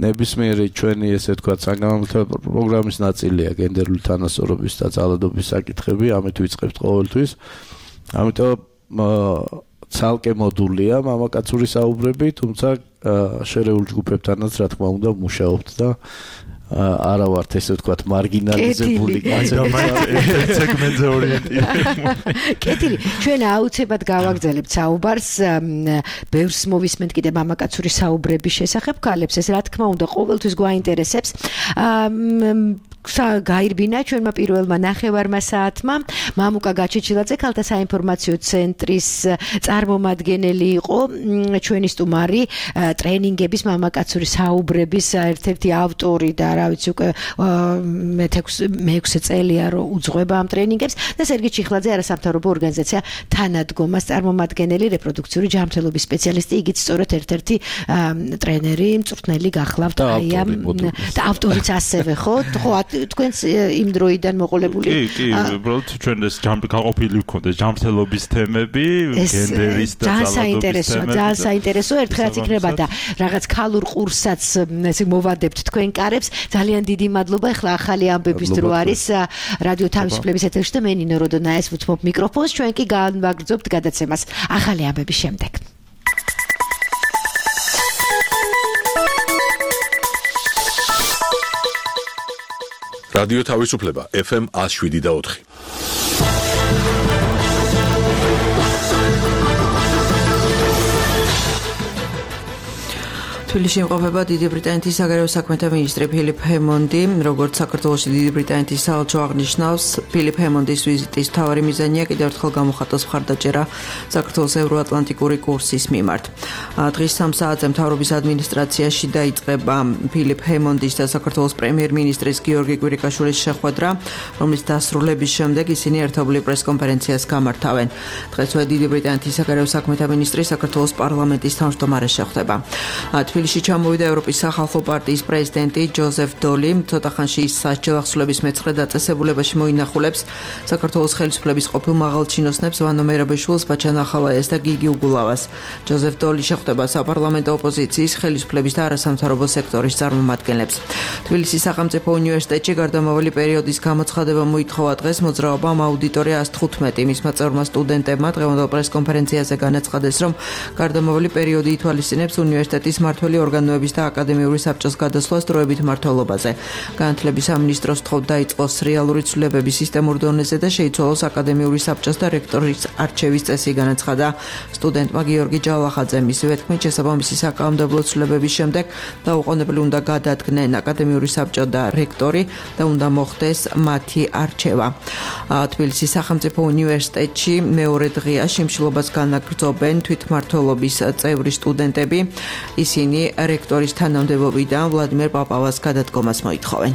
ნებისმიერი ჩვენი ესე ვთქვათ საგანმანათლებლო პროგრამის ნაწილია გენდერული თანასწორობის და ძალადობის საკითხები, ამით ვიწყებთ ყოველთვის. ამიტომ ცალკე მოდულია მამაკაცური საუბრები, თუმცა შერეულ ჯგუფებთანაც რა თქმა უნდა ვმუშაობთ და არა ვართ ესე ვთქვათ მარგინალიზებული კაცები სეგმენტზე ორიენტირებული. კეთილი, ჩვენ აუცილებლად გავაგრძელებთ საუბარს ბევრს მოვისმენთ კიდე მამაკაცური საუბრების შესახებ ქალებს, ეს რა თქმა უნდა ყოველთვის გვაინტერესებს. გაირბინა ჩვენმა პირველმა ნახევარმა საათმა მამუკა გაჩეჩილაძე ქალთა საინფორმაციო ცენტრის წარმომადგენელი იყო ჩვენი სტუმარი ტრენინგების მამაკაცური საუბრების ერთ-ერთი ავტორი და რა ვიცი უკვე მეექვსე წელია რომ უძღვება ამ ტრენინგებს და სერგი ჩიხლაძე არასამთავრობო ორგანიზაცია თანადგომას წარმომადგენელი რეპროდუქციური ჯანმრთელობის სპეციალისტი igit სწორედ ერთ-ერთი ტრენერი მწვრთნელი გახლავთ აი ამ და ავტორიც ასევე ხო ხო თქვენს იმ დროიდან მოყოლებული კი კი უბრალოდ ჩვენ ეს გაყოფილი ვქონდეს ჯანმრთელობის თემები გენდერის და ძალადობის თემები ძალიან საინტერესო ერთხელაც იქნება და რაღაც ქალურ ყურსაც ესე მოვადებთ თქვენ კარებს ძალიან დიდი მადლობა ახლა ახალი ამბების დრო არის რადიო თავისუფლების ეთერში და მე ნინო როდონაეს ვუთმობ მიკროფონს ჩვენ კი განვაგრძობთ გადაცემას ახალი ამბების შემდეგ რადიო თავისუფლება ეფ ემ one oh seven და ოთხი. თბილისში იმყოფება დიდი ბრიტანეთის საგარეო საქმეთა მინისტრი ფილიპ ჰემონდი, როგორც საქართველოში დიდი ბრიტანეთის საელჩო აღნიშნავს, ფილიპ ჰემონდის ვიზიტის მთავარი მიზანია კიდევ ერთხელ გამოხატოს მხარდაჭერა საქართველოს ევროატლანტიკური კურსის მიმართ. დღის სამ საათზე მთავრობის ადმინისტრაციაში დაიწყება ფილიპ ჰემონდის და საქართველოს პრემიერ-მინისტრის გიორგი კვირიკაშვილის შეხვედრა, რომლის დასრულების შემდეგ ისინი ერთობლივ პრესკონფერენციას გამართავენ. დღესვე დიდი ბრიტანეთის საგარეო საქმეთა მინისტრი საქართველოს პარლამენტის თავმჯდომარეს შეხვდება. თბილისში ჩამოვიდა ევროპის სახალხო პარტიის პრეზიდენტი ჯოზეფ დოლი, ცოტა ხანში ის სასჯელ ახსნების მეცხრე დაწესებულებაში მოინახულებს საქართველოს ხელისუფლების ყოფილ მაღალჩინოსნებს ვანო მერაბაშვილს, ბაჩან ახალაიას და გიგი უგულავას. ჯოზეფ დოლი შეხვდება საპარლამენტო ოპოზიციის, ხელისუფლების და არასამთავრობო სექტორის წარმომადგენლებს. თბილისის სახელმწიფო უნივერსიტეტში გარდამავალი პერიოდის გამოცხადება მოითხოვა დღეს მოძრაობამ აუდიტორია one fifteen მისმა წევრმა სტუდენტებმა დღევანდელ პრესკონფერენციაზე განაცხადეს, რომ გარდამავალი პერიოდი ითვალისწინებს უნივერსიტეტის მმართველი ორგანოების და აკადემიური საბჭოს გადასვლას დროებით მმართველობაზე. განათლების სამინისტროს თხოვთ დაიწყოს რეალური ცვლილებების სისტემურ დონეზე და შეიცვალოს აკადემიური საბჭოს და რექტორის არჩევის წესი, განაცხადა სტუდენტმა გიორგი ჯალახაძე. მისივე თქმით, შესაბამისი საკანონმდებლო ცვლილებების შემდეგ დაუყოვნებელი უნდა გადადგნენ აკადემიური საბჭო და რექტორი და უნდა მოხდეს მათი არჩევა. თბილისის სახელმწიფო უნივერსიტეტში მეორე დღეა შიმშილობას განაგრძობენ თვითმმართველობის წევრი სტუდენტები. ისინი რექტორის თანამდებობიდან ვლადიმერ პაპავას გადადგომას მოითხოვენ.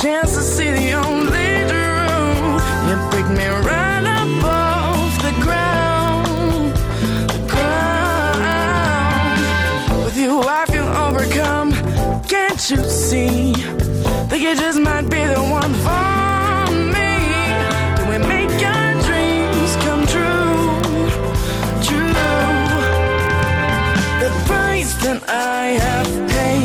Chance to see the only truth. You pick me right up off the ground, the ground. With you I feel overcome. Can't you see that you just might be the one for me? Can we make our dreams come true? True. The price that I have paid.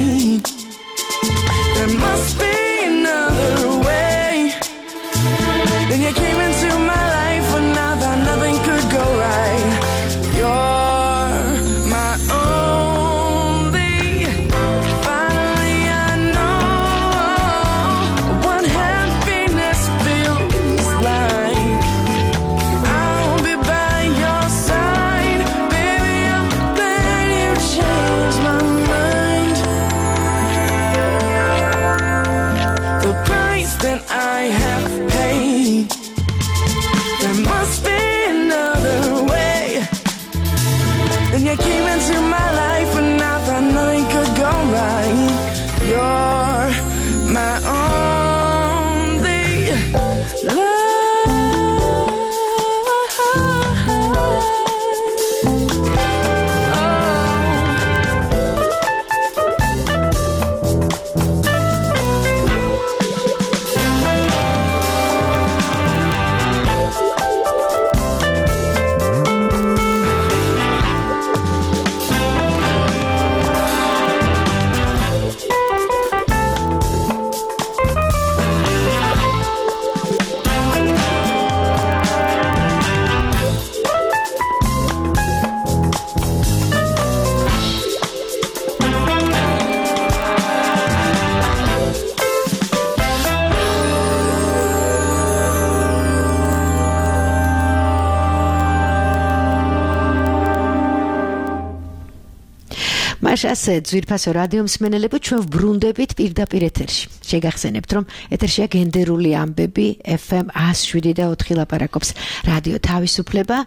ასე ძვირფასო რადიო მსმენელებო, ჩვენ ვბრუნდებით პირდაპირ ეთერში. შეგახსენებთ, რომ ეთერშია გენდერული ამბები ეფ ემ one oh seven და four ლაპარაკობს რადიო თავისუფლება.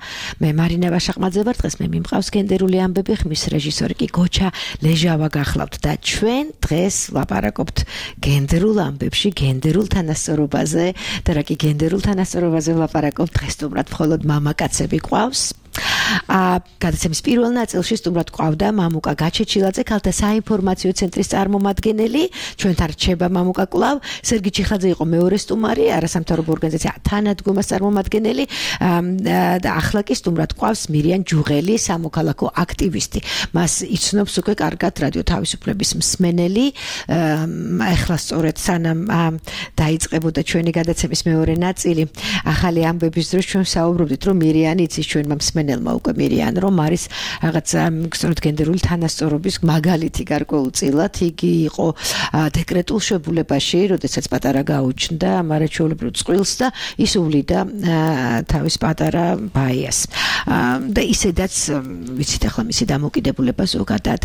მე მარინა ვაშაყმაძე ვარ, დღეს მე მიმყავს გენდერული ამბები, ხმის რეჟისორი კი გოჩა ლეჟავა გახლავთ და ჩვენ დღეს ლაპარაკობთ გენდერულ ამბებში, გენდერულ თანასწორობაზე და რა კი გენდერულ თანასწორობაზე ლაპარაკობთ, დღეს თუმრად მხოლოდ მამაკაცები ყავს. ა გადაცემის პირველ ნაწილში სტუმრად ყავდა მამუკა გაჩეჩილაძე, ქალთა საინფორმაციო ცენტრის წარმომადგენელი. ჩვენთან რჩება მამუკა კლავ. სერგი ჩიხაძე იყო მეორე სტუმარი, არასამთავრობო ორგანიზაცია თანადგომას წარმომადგენელი და ახლა კი სტუმრად ყავს მირიან ჯუღელი, სამოქალაქო აქტივისტი. მას იცნობს უკვე კარგად რადიო თავისუფლების მსმენელი. ახლა სწორედ სანამ დაიწყებოდა ჩვენი გადაცემის მეორე ნაწილი, ახალი ამბების დროს ჩვენ საუბრობდით, რომ მირიანი იცის ჩვენმა მსმენელმა უკვე მირიან, რომ არის რაღაც სწორედ გენდერული თანასწორობის მაგალითი გარკვეულწილად. იგი იყო დეკრეტულ შებულებაში, როდესაც პატარა გაუჩნდა მარაჩვეულებრივ წყვილს და ის უვლიდა თავის პატარა ბაიას. და ისედაც ვიცით ახლა მისი დამოკიდებულება ზოგადად,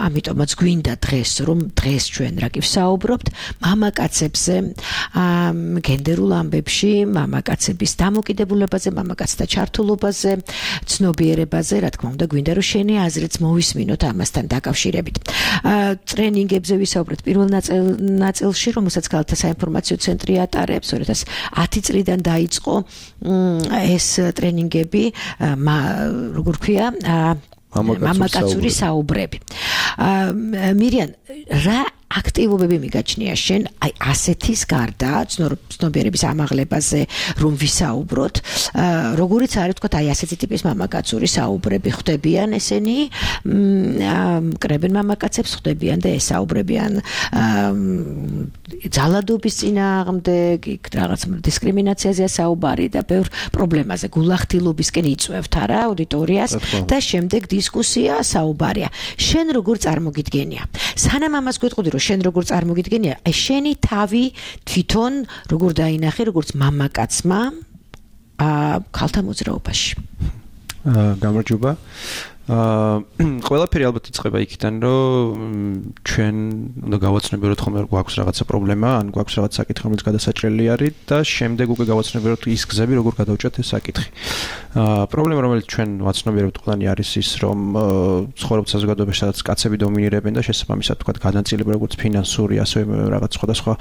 ამიტომაც გვინდა დღეს, რომ დღეს ჩვენ რა კი ვსაუბრობთ მამაკაცებზე, გენდერულ ამბებში, მამაკაცების დამოკიდებულებაზე, მამაკაცთა ჩართულობაზე, ცნობიერებაზე, რა თქმა უნდა, გვინდა რომ შენი აზრიც მოვისმინოთ ამასთან დაკავშირებით. ტრენინგებზე ვისაუბრეთ პირველ ნაწილში, რომელსაც ქალთა საინფორმაციო ცენტრი ატარებს, two thousand ten წლიდან დაიწყო ეს ტრენინგები, როგორ ქვია, მამაკაცური საუბრები. მირიან, რა აქტივობები მიგაჩნია შენ აი ასეთის გარდა ცნობიერების ამაღლებაზე რომ ვისაუბროთ, როგორიც არის თქვა აი ასეთი ტიპის მამაკაცური საუბრები ხდებიან ესენი, კრებენ მამაკაცებს ხდებიან და ესაუბრებიან ძალადობის წინააღმდეგ, რაღაც დისკრიმინაციაზეა საუბარი და ბევრ პრობლემაზე გულახდილობისკენ იწვევთ არა აუდიტორიას და შემდეგ დისკუსია საუბარია. შენ როგორ წარმოგიდგენია? სანამ ამას გვეტყოდი რომ შენ როგორ წარმოგიდგენია, აი შენი თავი თვითონ როგორ დაინახე როგორც მამაკაცმა ქალთა მოძრაობაში? გამარჯობა. ყველაფერი ალბათ იწყება იქიდან, რომ ჩვენ უნდა გავაცნობიეროთ ხოლმე რომ გვაქვს რაღაცა პრობლემა, ან გვაქვს რაღაც საკითხი, რომელიც გადასაჭრელი არის და შემდეგ უკვე გავაცნობიეროთ ის გზები, როგორ გადავჭრათ ეს საკითხი. პრობლემა, რომელიც ჩვენ ვაცნობიერებთ ყველანი არის ის, რომ ცხოვრობთ საზოგადოებაში, სადაც კაცები დომინირებენ და შესაბამისად თქვა განაწილება როგორც ფინანსური, ასევე რაღაც სხვადასხვა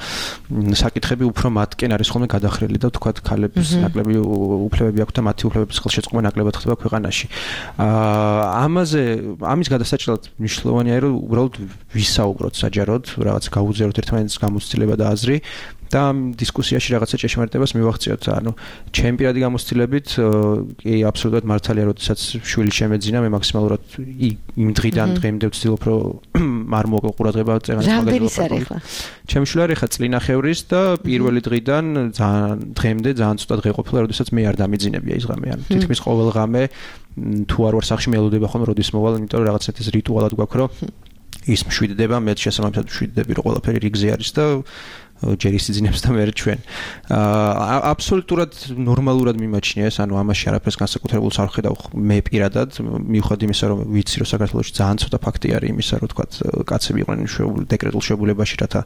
საკითხები უფრო მათკენ არის ხოლმე გადახრილი და თქვა ქალების ნაკლები უფლებები აქვს და მათი უფლებების ხელშეწყობა ნაკლებად ხდება ქვეყანაში. ამაზე ამის გადასაჭრელად მნიშვნელოვანია რომ უბრალოდ ვისაუბროთ საჯაროდ, რაღაც გავუძლიეროთ ერთმანეთს გამოცდილება და აზრი და ამ დისკუსიაში რაღაცა ჭეშმარიტებას მივახციოთ. ანუ ჩემი პირადი გამოცდილებით კი აბსოლუტურად მართალია, როდესაც შვილი შემეძინა, მე მაქსიმალურად იმ დღიდან დღემდე ვცდილობ რომ არ მოვაკო ყურადღება წერანის მაგალითად. ჩემი შვილი არის ხა წლინახევრის და პირველი დღიდან ძალიან დღემდე ძალიან ცოტა დღე ყოფილა, როდესაც მე არ დამიძინებია ის ღამე. ანუ თითქმის ყოველ ღამე თუ არ ვარ სახში მელოდება ხოლმე როდის მოვალ, იმიტომ რომ რაღაცა ეს რიტუალად გვაქვს, რომ ის მშვიდდება, მე შესაბამისად მშვიდდები, რომ ყველაფერი რიგზე არის და ჯერ ისიძინებს და მე ჩვენ. აბსოლუტურად ნორმალურად მიმაჩნია ეს, ანუ ამაში არაფერს განსაკუთრებულს არ ხედავ მე პირადად, მიუხედავად იმისა, რომ ვიცი, რომ საქართველოში ძალიან ცოტა ფაქტი არის იმისა, რომ თქვა კაცები იყვნენ დეკრეტულ შებულებაში, რათა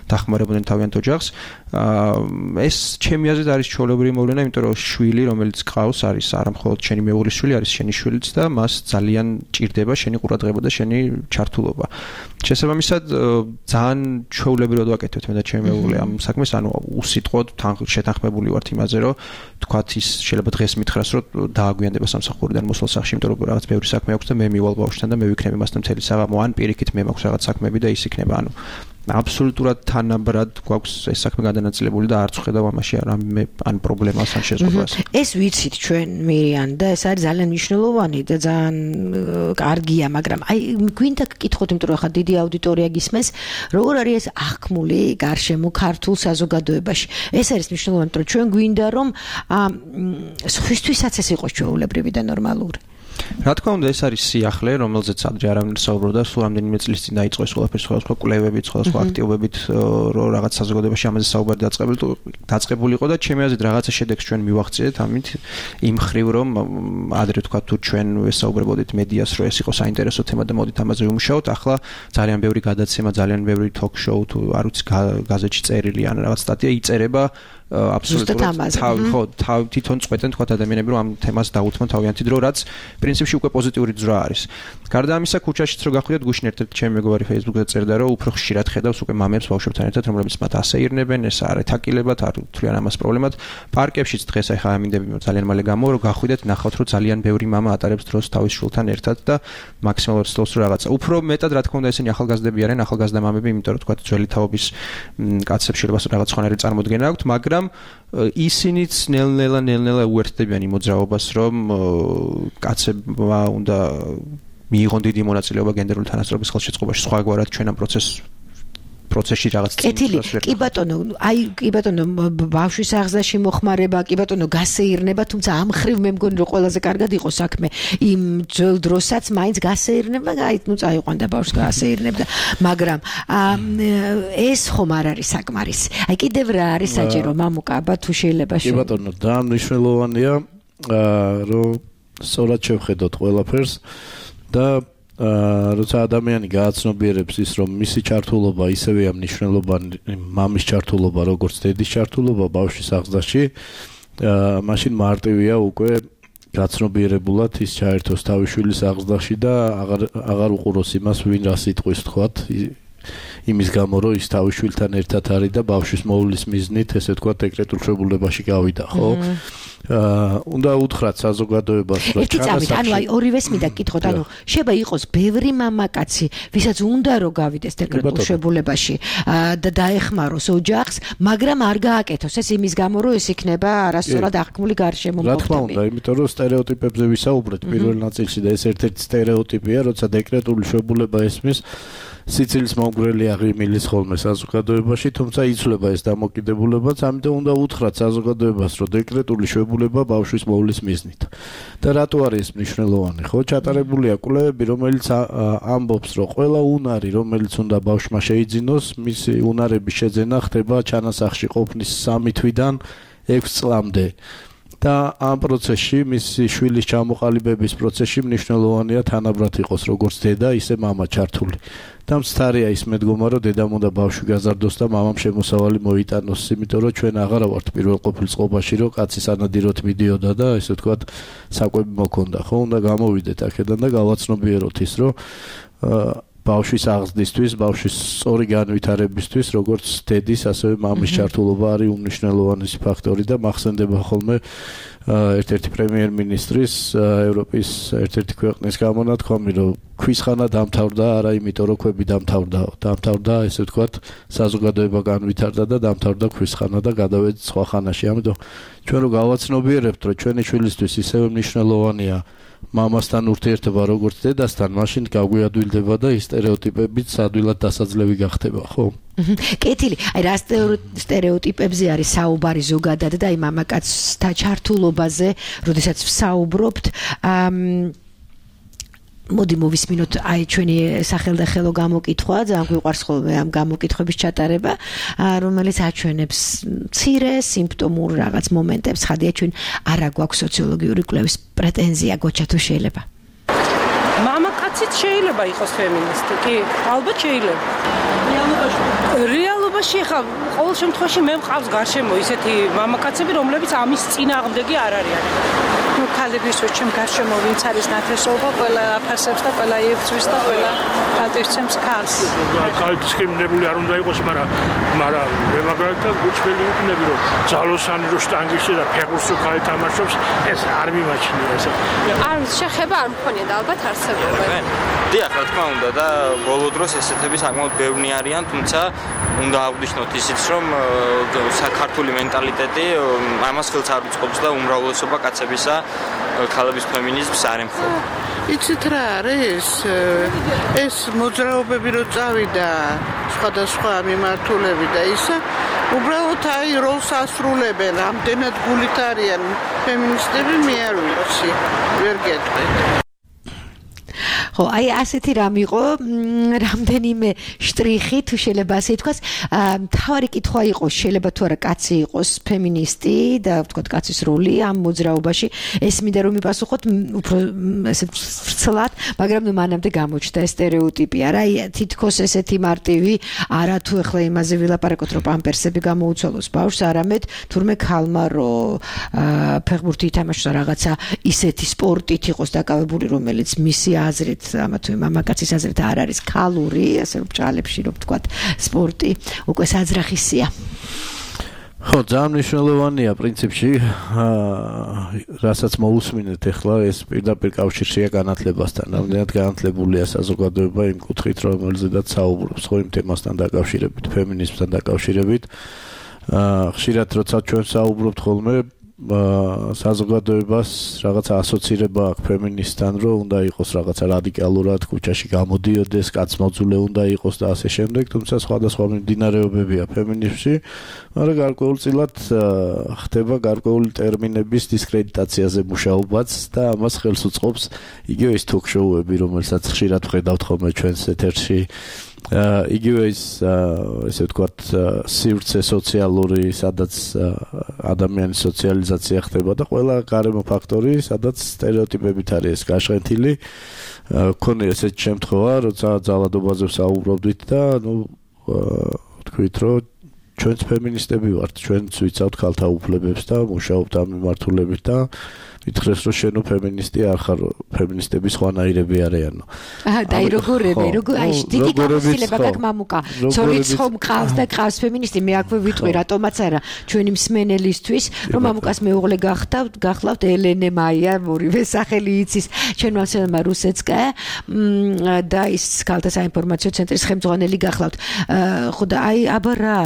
დახმარებოდნენ თავიანთ ოჯახს. ეს ჩემი აზრით არის ჩვეულებრივი მოვლენა, იმიტომ რომ შვილი, რომელიც ყავს, არის არა მხოლოდ შენი მეუღლის შვილი, არის შენი შვილიც და მას ძალიან ჭირდება შენი ყურადღება და შენი ჩართულობა. შესაბამისად, ძალიან ჩვეულებრივად ვაკეთებ მე და ჩემი მეუღლე ამ საქმეს, ანუ უსიტყვოდ შეთანხმებული ვართ იმაზე, რომ თქვათ ის შეიძლება დღეს მითხრას, რომ დააგვიანდება სამსახურიდან მოსვლა სახში, იმიტომ რომ რაღაც ბევრი საქმე აქვს და მე მივალ ბავშვთან და მე ვიქნები მასთან მთელი საღამო, ან პირიქით მე მაქვს რაღაც საქმეები და ის იქნება, ანუ აბსოლუტურად თანაბრად გვაქვს ეს საქმე გადანაწილებული და არც ვხედავ ამაში რამე ან პრობლემას ან შეზღუდვას. ეს ვიცით ჩვენ მირიან და ეს არის ძალიან მნიშვნელოვანი და ძალიან კარგია, მაგრამ აი გვინდა გკითხოთ, იმიტომ რომ ხა დიდი აუდიტორია გისმენს, როგორ არის ეს აღქმული გარშემო ქართულ საზოგადოებაში. ეს არის მნიშვნელოვანი, რომ ჩვენ გვინდა რომ სხვისთვისაც ეს იყოს ჩვეულებრივი და ნორმალური. რა თქმა უნდა, ეს არის სიახლე, რომელზეც ადრე არავინ საუბრობდა, სულ რამდენიმე წლის წინ დაიწყო ეს ყველაფერი სხვადასხვა კვლევებით, სხვადასხვა აქტივობებით, რომ რაღაც საზოგადოებაში ამაზე საუბარი დაწყებული დაწყებულიყო და ჩემი აზრით რაღაცა შედეგს ჩვენ მივახციეთ ამით იმ ხრივ, რომ ადრე თქვა თუ ჩვენ ვესაუბრებოდით მედიას, რომ ეს იყო საინტერესო თემა და მოდით ამაზე ვიმუშაოთ, ახლა ძალიან ბევრი გადაცემა, ძალიან ბევრი ток-შოუ თუ არ ვიცი გაზეთში წერილი ან რაღაც სტატია იწერება აბსოლუტურად თავი ხო თავი თვითონ წყვეტენ თქვა ადამიანები რომ ამ თემას დაუთმონ თავიანთი დრო რაც პრინციპში უკვე პოზიტიური ძრა არის. გარდა ამისა ქუჩაშიც რო გახვიდეთ გუშინ ერთ-ერთი ჩემი მეგობარი Facebook-ზე წერდა რომ უფრო ხშირად ხედავს უკვე მამებს ბავშვებთან ერთად რომლებიც მათ ასეირნებენ ეს არ ეთაკილებათ არ თვლიან ამას პრობლემად. პარკებშიც დღეს ახლა ამინდები ძალიან მალე გამო რომ გახვიდეთ ნახავთ რომ ძალიან ბევრი მამა ატარებს დროს თავის შვილთან ერთად და მაქსიმალურად სწორს რა რაღაცა. უფრო მეტად რა თქმა უნდა ესენი ახალგაზრდები არიან ახალგაზრდა მამები იმიტომ რომ თქვა ძველი თაობის კაცებს შეიძლება რაღაც ხანერი წარმოდგენა აქვთ მაგრამ ისინიც ნელ-ნელა ნელ-ნელა უერთდებიან იმ მოძრაობას, რომ კაცებმა უნდა მიიღონ დიდი მონაწილეობა გენდერული თანასწორობის ხელშეწყობაში, სხვაგვარად ჩვენ ამ პროცესს პროცესში რაღაც კეთილი, კი ბატონო, აი კი ბატონო, ბავშვის აღზრდაში მოხმარება, კი ბატონო, გასეირნება, თუმცა ამ ხრივ მე მგონი რომ ყველაზე კარგად იყო საქმე იმ ძველ დროსაც მაინც გასეირნება, აი ნუ წაიყვანდა ბავშვს გასეირნებდა, მაგრამ ეს ხომ არ არის საკმარისი. აი კიდევ რა არის საჭირო, მამუკა, აბა თუ შეიძლება კი ბატონო, და მნიშვნელოვანია რომ სწორად შევხედოთ ყველაფერს და როცა ადამიანი გააცნობიერებს ის რომ მისი ჩართულობა ისევეა მნიშვნელოვანი მამის ჩართულობა როგორც დედის ჩართულობა ბავშვის აღზრდაში მაშინ მარტივია უკვე გაცნობიერებულად ის ჩაერთოს თავის შვილის აღზრდაში და აღარ აღარ უყუროს იმას ვინ რა სიტყვის თქვათ იმის გამო რომ ის თავის შვილთან ერთად არის და ბავშვის მოვლის მიზნით ესე თქვათ დეკრეტულ შეებულებაში გავიდა ხო აა უნდა უთხრათ საზოგადოებას რომ ჩანასახში ანუ აი ორივეს მინდა გკითხოთ ანუ შეიძლება იყოს ბევრი მამაკაცი ვისაც უნდა რომ გავიდეს დეკრეტულ შეებულებაში და დაეხმაროს ოჯახს მაგრამ არ გააკეთოს ეს იმის გამო რომ ეს იქნება არასწორად აღქმული გარშემო რა თქმა უნდა იმიტომ რომ სტერეოტიპებზე ვისაუბრეთ პირველ ნაწილში და ეს ერთ-ერთი სტერეოტიპია როცა დეკრეტული შეებულება ესმის სიცილის მომგვრელი აღიმილის ხოლმე საზოგადოებაში, თუმცა იცვლება ეს დამოკიდებულებაც, ამიტომ უნდა უთხრათ საზოგადოებას, რომ დეკრეტული შეებულება ბავშვის მოვლის მიზნით. და რატო არის ეს მნიშვნელოვანი? ხო, ჩატარებულია კვლევები, რომელიც ამბობს, რომ ყველა უნარი, რომელიც უნდა ბავშვმა შეიძინოს, მისი უნარების შეძენა ხდება ჩანასახში ყოფნის სამი თვიდან ექვს წლამდე. და ამ პროცესში მისი შვილის ჩამოყალიბების პროცესში მნიშვნელოვანია თანაბრად იყოს როგორც დედა, ისე მამა ჩართული. და მცდარია ის მედგომა, რომ დედამ უნდა ბავშვი გაზარდოს და მამამ შემოსავალი მოიტანოს, იმიტომ რომ ჩვენ აღარა ვართ პირველყოფილ წყობაში, რომ კაცი სანადიროთ მიდიოდა და ესე ვთქვათ, საკვები მოქონდა, ხო, უნდა გამოვიდეთ აქედან და გავაცნობიეროთ ის, რომ ბავშვის აღზრდისთვის, ბავშვის სწორი განვითარებისთვის, როგორც დედის, ასევე მამის ჩართულობა არის უმნიშვნელოვანესი ფაქტორი და მახსენდება ხოლმე ერთ-ერთი პრემიერ-მინისტრის ევროპის ერთ-ერთი ქვეყნის გამონათქვამი, რომ ქვისხანა დამთავრდა არა იმიტომ, რომ ქვები დამთავრდა, დამთავრდა, ესე ვთქვათ, საზოგადოება განვითარდა და დამთავრდა ქვისხანა და გადავედით სხვა ხანაში. ამიტომ ჩვენ რო გავაცნობიერებთ, რომ ჩვენი შვილისთვის ისევე მნიშვნელოვანია მამასთან ურთიერთობა როგორც დედასთან, მაშინ გაგვიადვილდება და ის სტერეოტიპებიც ადვილად დასაძლევი გახდება, ხო? კეთილი, აი რა სტერეოტიპებზე არის საუბარი ზოგადად და აი მამაკაცთა ჩართულობაზე, როდესაც ვსაუბრობთ, მოდი მოვისმინოთ აი ჩვენი სახელდახელო გამოკითხვა, ძალიან გვიყვარს ხოლმე ამ გამოკითხვების ჩატარება, რომელიც აჩვენებს მცირე სიმპტომურ რაღაც მომენტებს, ხადია ჩვენ არა გვაქვს სოციოლოგიური კვლევის პრეტენზია, გოჩა თუ შეიძლება. მამაკაციც შეიძლება იყოს ფემინისტი, კი, ალბათ შეიძლება. რეალობაში რეალობაში ხა ყოველ შემთხვევაში მე მყავს გარშემო ისეთი მამაკაცები, რომლებიც ამის წინააღმდეგი არ არიან. ну ქალების უჩემ გარშემო ვინც არის ნათესობა, ყველა აფასებს და ყველა იღწვის და ყველა ატირცემს ქალს. ქალი დისკრიმინებული არ უნდა იყოს, მაგრამ მაგრამ მე მაგალითად გუჩველი ვიქნები, რომ ძალოსანი რო შტანგიში და ფეხბურთს რო ქალი თამაშობს, ეს არ მიმაჩნია ესე. არ შეხება არ მქონია და ალბათ არსებობენ. დიახ, რა თქმა უნდა და ბოლო დროს ესეთები საკმაოდ ბევრი არიან, თუმცა უნდა აღვნიშნოთ ისიც, რომ საქართველოს მენტალიტეტი ამას ხელს არ უწყობს და უმრავლესობა კაცებისა ქალების ფემინიზმს არ ემხრობა. იცით რა არის? ეს მოძრაობები რო წავიდა სხვადასხვა მიმართულები და ისა უბრალოდ აი როლს ასრულებენ, ამდენად გულით არიან ფემინისტები, მე არ ვიცი, ვერ გეტყვით. ხო, აი ასეთი რამ იყო, რამდენიმე შტრიხი თუ შეიძლება ასე თქვას, მთავარი კითხვა იყო, შეიძლება თუ არა კაცი იყოს ფემინისტი და ვთქვათ კაცის როლი ამ მოძრაობაში, ეს მინდა რომ მიპასუხოთ უფრო ესე ვრცლად, მაგრამ ნუ მანამდე გამოჩნდა ეს სტერეოტიპი, არა, თითქოს ესეთი მარტივი, არა თუ ახლა იმაზე ვილაპარაკოთ, რომ პამპერსები გამოუცვალოს ბავშვს, არამედ თურმე ქალმა რომ ფეხბურთი ითამაშოს რაღაცა ისეთი სპორტით იყოს დაკავებული, რომელიც მისი აზრით ამა თუ მამაკაცის აზრით არ არის ქალური, ასე რომ ბრალებში რომ ვთქვათ, სპორტი უკვე საძრახისია. ხო, ძალიან მნიშვნელოვანია პრინციპში, რასაც მოусმინეთ ახლა ეს პირდაპირ კავშირშია განათლებასთან. რამდენად განათლებულია საზოგადოება იმ კუთხით, რომელზედაც საუბრობს, ხო, იმ თემასთან დაკავშირებით, ფემინიზმთან დაკავშირებით. ხშირად როცა ჩვენ საუბრობთ ხოლმე საზოგადოებას რაღაცა ასოცირება აქვს ფემინისტთან, რომ უნდა იყოს რაღაცა რადიკალურად ქუჩაში გამოდიოდეს, კაცმოძულე უნდა იყოს და ასე შემდეგ, თუმცა სხვადასხვა მიმდინარეობებია ფემინიზმში, მაგრამ გარკვეულწილად ხდება გარკვეული ტერმინების დისკრედიტაციაზე მუშაობაც და ამას ხელს უწყობს იგივე ის თოქ-შოუები, რომელსაც ხშირად ვხედავთ ხოლმე ჩვენს ეთერში. იგივე ის ესე ვთქვათ სივრცე სოციალური, სადაც ადამიანის სოციალიზაცია ხდება და ყველა გარემო ფაქტორი, სადაც სტერეოტიპებით არის ეს გაშენთილი. მქონია ესეთი შემთხვევა, როცა ძალადობაზე ვსაუბრობდით და ნუ თქვით, რომ ჩვენც ფემინისტები ვართ, ჩვენც ვიცავთ ქალთა უფლებებს და მუშაობთ ამ მიმართულებით და მითხრეს რომ შენო феминисти არ ხარ, феминистები სხვანაირები არიანო. აჰა, და როგორები, როგორ აი დიდი გამოცდილება გაქვს მამუკა. ცოლიც ხომ ყავს და ყავს феминисти, მე აქვე ვიტყვი რატომაც არა ჩვენი მსმენელისთვის, რომ მამუკას მეუღლე გახდავთ, გახლავთ ელენე მაია, ორივე სახელი იცის. ჩვენ მასემა რუსეცკა და ის ქალთა საინფორმაციო ცენტრის ხელმძღვანელი გახლავთ. ხო და აი აბა რა